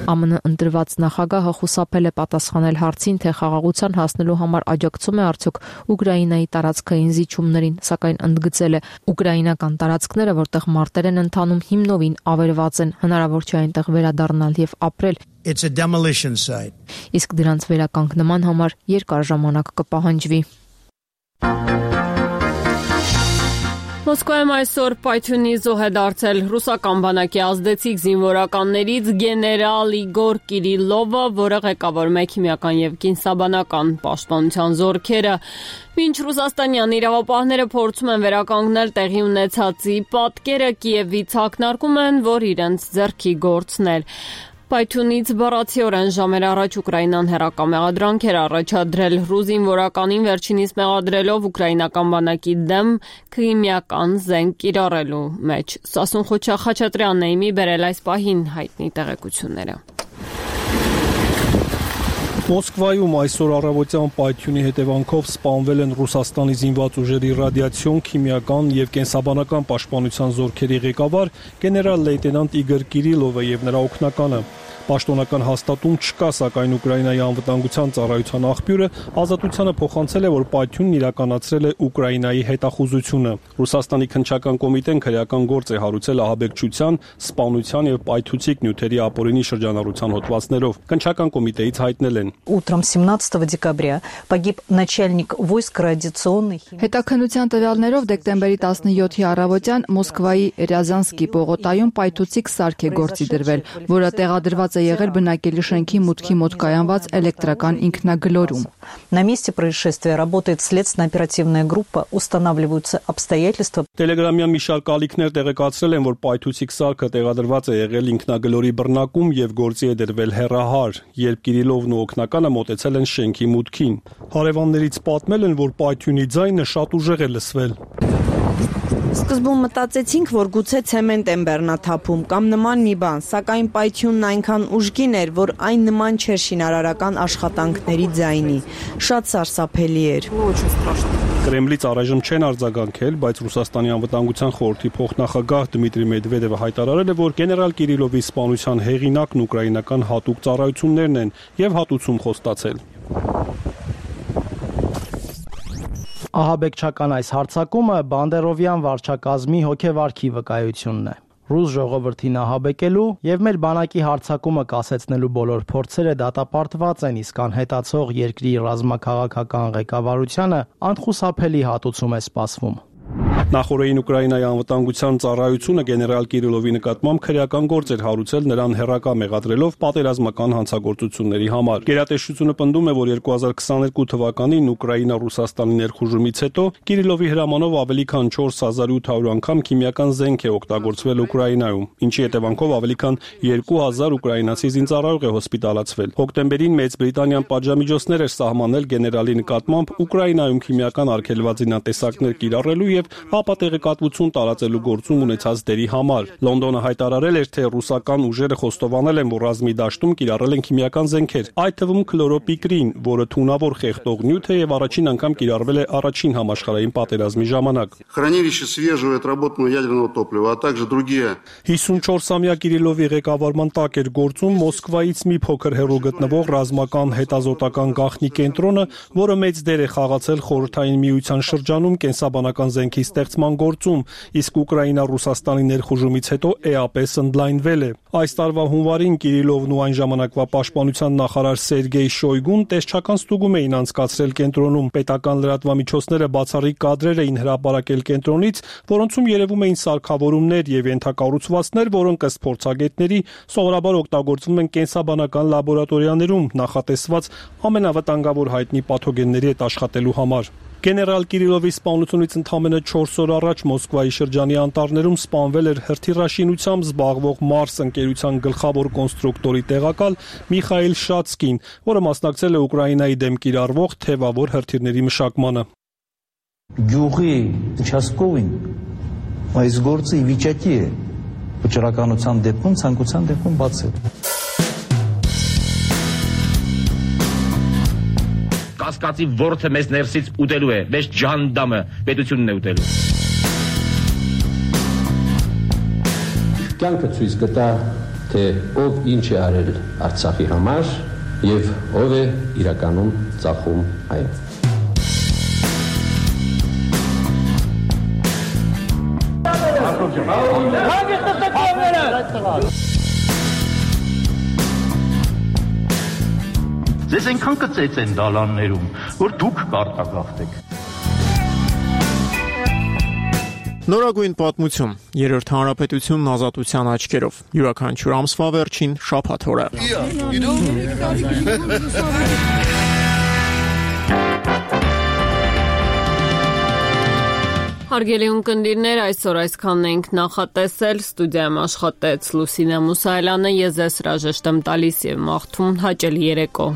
ԱՄՆ ընտրված նախագահը խուսափել է պատասխանել հարցին, թե խաղաղության հասնելու համար աջակցում է արդյոք Ուկրաինայի տարածքային զիջումներին, սակայն ընդգծել է ուկրաինական տարածքները, որտեղ մարտեր են ընթանում, նովին ավերված են, հնարավոր չէ այնտեղ վերադառնալ եւ ապրել։ It's a demolition site. Իսկ դրանց վերականգնման համար երկար ժամանակ կպահանջվի։ Մոսկվայում այսօր պայթյունի զոհ է դարձել ռուսական բանակի ազդեցիկ զինվորականներից գեներալ Իգոր Կիրիլովը, որը ղեկավարում է քիմիական եւ կենսաբանական պաշտպանության զորքերը։ Մինչ ռուսաստանյան իրավապահները փորձում են վերականգնել տեղի ունեցածի պատկերը, Կիևից ակնարկում են, որ իրենց ձեռքի գործն էր։ Պայթյունից բառացիորեն ժամեր առաջ Ուկրաինան հերական մեղադրանք էր առաջադրել ռուս զինվորականին վերջինիս մեղադրելով ուկրաինական բանակի դեմ քիմիական զենք կիրառելու մեջ։ Սասուն Խաչատրյանն է իմի բերել այս պահին հայտնի տեղեկությունները։ Մոսկվայում այսօր առավոտյան պայթյունի հետևանքով սպանվել են Ռուսաստանի զինված ուժերի ռադիացիոն, քիմիական եւ կենսաբանական պաշտպանության զորքերի ղեկավար գեներալ լեյտենանտ Իգոր Կիրիլովը եւ նրա օգնականը։ Պաշտոնական հաստատում չկա, սակայն Ուկրաինայի անվտանգության ծառայության աղբյուրը ազատությանը փոխանցել է, որ պայթյունն իրականացրել է Ուկրաինայի հետախուզությունը։ Ռուսաստանի քննչական կոմիտեն քրեական գործ է հարուցել ահաբեկչության, սպանության եւ պայթուցիկ նյութերի ապօրինի շրջանառության հոդվածներով։ Քննչական կոմիտեից հայտնել են. Утром 17 декабря погиб начальник войск радиационных. Հետաքննության տվյալներով դեկտեմբերի 17-ի առավոտյան Մոսկվայի Ռյազանսկի պողոտայում պայթուցիկ սարք է գործի դրվել, որը տեղադրված է եղել բնակելի շենքի մուտքի մոտ կայանված էլեկտրական ինքնագլորում։ На месте происшествия работает следственно-оперативная группа, устанавливаются обстоятельства. Տելեգրամյան մի շարք ալիքներ տեղեկացրել են, որ պայթուցիկ սարքը տեղադրված է եղել ինքնագլորի բռնակում եւ գործի է դրվել հեռահար, երբ Կիրիլովն ու օգնականը մոտեցել են շենքի մուտքին։ Հարևաններից պատմել են, որ պայթյունի ձայնը շատ ուժեղ է լսվել։ Սկզբում մտածեցինք, որ գուցե ցեմենտ են բեռնաթափում կամ նման մի բան, սակայն պայթյունն այնքան ուժգին էր, որ այն նման չէր շինարարական աշխատանքների ձայնի։ Շատ սարսափելի էր։ Կրեմլից առայժմ չեն արձագանքել, բայց Ռուսաստանի անվտանգության խորհրդի փոխնախագահ Դմիտրի Մեդվեդևը հայտարարել է, որ գեներալ Կիրիլովի սպանության հեղինակն ուկրաինական հատուկ ծառայություններն են եւ հատուցում խոստացել։ Ահաբեկչական այս հարձակումը Բանդերովյան վարչակազմի հոգեվարքի վկայությունն է։ Ռուս ժողովրդին ահաբեկելու եւ մեր բանակի հարձակումը կասեցնելու բոլոր փորձերը դատապարտված են, իսկ անհետացող երկրի ռազմաքաղաքական ղեկավարությանը անխուսափելի հատուցում է սպասվում։ Նախորդին Ուկրաինայի անվտանգության ծառայությունը գեներալ Կիրիլովի նկատմամբ քրեական գործ էր հարուցել նրան հեռակա մեղադրելով պատերազմական հանցագործությունների համար։ Գերատեսչությունը պնդում է, որ 2022 թվականին Ուկրաինա-Ռուսաստանի ներխուժումից հետո Կիրիլովի հրամանով ավելի քան 4800 անգամ քիմիական զենք է օգտագործվել Ուկրաինայում, ինչի հետևանքով ավելի քան 2000 ուկրաինացի զինծառայող է հոսպիտալացվել։ Հոկտեմբերին Մեծ Բրիտանիան պատժամիջոցներ էր սահմանել գեներալի նկատմամբ Ուկրաինայում քիմիական արգելված զինատեսակներ կիրառելու եւ ՀԱՊ-ը տեղեկատվություն տարածելու գործում ունեցած դերի համար։ Լոնդոնը հայտարարել էր, թե ռուսական ուժերը խոստովանել են, որ ռազմի դաշտում կիրառել են քիմիական զենքեր, այդ թվում քլորոպիկրին, որը թունավոր խեղդող նյութ է եւ առաջին անգամ կիրառվել է առաջին համաշխարհային պատերազմի ժամանակ։ Хранилище свежего и отработанного ядерного топлива, а также другие 54-ամյա Կիրիլովի ղեկավարման տակ էր գործում Մոսկվայից մի փոքր հեռու գտնվող ռազմական հետազոտական գաղտնի կենտրոնը, որը մեծ դեր է խաղացել Խորհրդային Միության շրջանում կենսաբանական զենքի ստեղծման գործում, իսկ Ուկրաինա-Ռուսաստանի ներխուժումից հետո էապես ընդլայնվել է։ Այս տարվա հունվարին Կիրիլովն ու այն ժամանակվա պաշտպանության նախարար Սերգեյ Շոյգուն տեսչական ստուգում էին անցկացրել կենտրոնում։ Պետական լրատվամիջոցները բացառիկ կադրեր էին հրապարակել կենտրոնից, որոնցում երևում էին սարքավորումներ եւ ենթակառուցվածքներ, որոնք ըստ փորձագետների սովորաբար օգտագործվում են կենսաբանական լաբորատորիաներում, նախատեսված ամենավտանգավոր հայտնի պաթոգենների հետ աշխատելու համար։ Գեներալ Կիրիլովի սպանությունից ընդամենը 4 օր առաջ Մոսկվայի շրջանի անտառներում սպանվել էր հրթիռաշինությամբ զբաղվող Մարս ընկերության գլխավոր կոնստրուկտորի տեղակալ Միխայիլ Շացկին, որը մասնակցել է Ուկրաինայի դեմ կիրառվող թևավոր հրթիռների մշակմանը։ Գյուղի участковին այս գործը ի վիճակի է վճռականության դեպքում ցանկության դեպքում բացել։ Կասկածի ворթը մեզ ներսից ուտելու է, մեզ ջանդամը պետությունն է ուտելու։ Կյանքը ցույց կտա, թե ով ինչ է արել Արցախի համար եւ ով է իրականում ծախում այն։ Ձեզ այնքան կծեց են դալաններում, որ դուք կարտագաղթեք։ Նորագույն պատմություն, երրորդ հանրապետությունն ազատության աչքերով, յուրաքանչյուր ամսվա վերջին շաբաթ օրը։ Հարգելի ունկնդիրներ, այսօր այսքանն ենք նախատեսել, ստուդիայում աշխատեց Լուսինե Մուսայելյանը, ես ձեզ հրաժեշտ եմ տալիս եւ մաղթում հաճելի երեկո։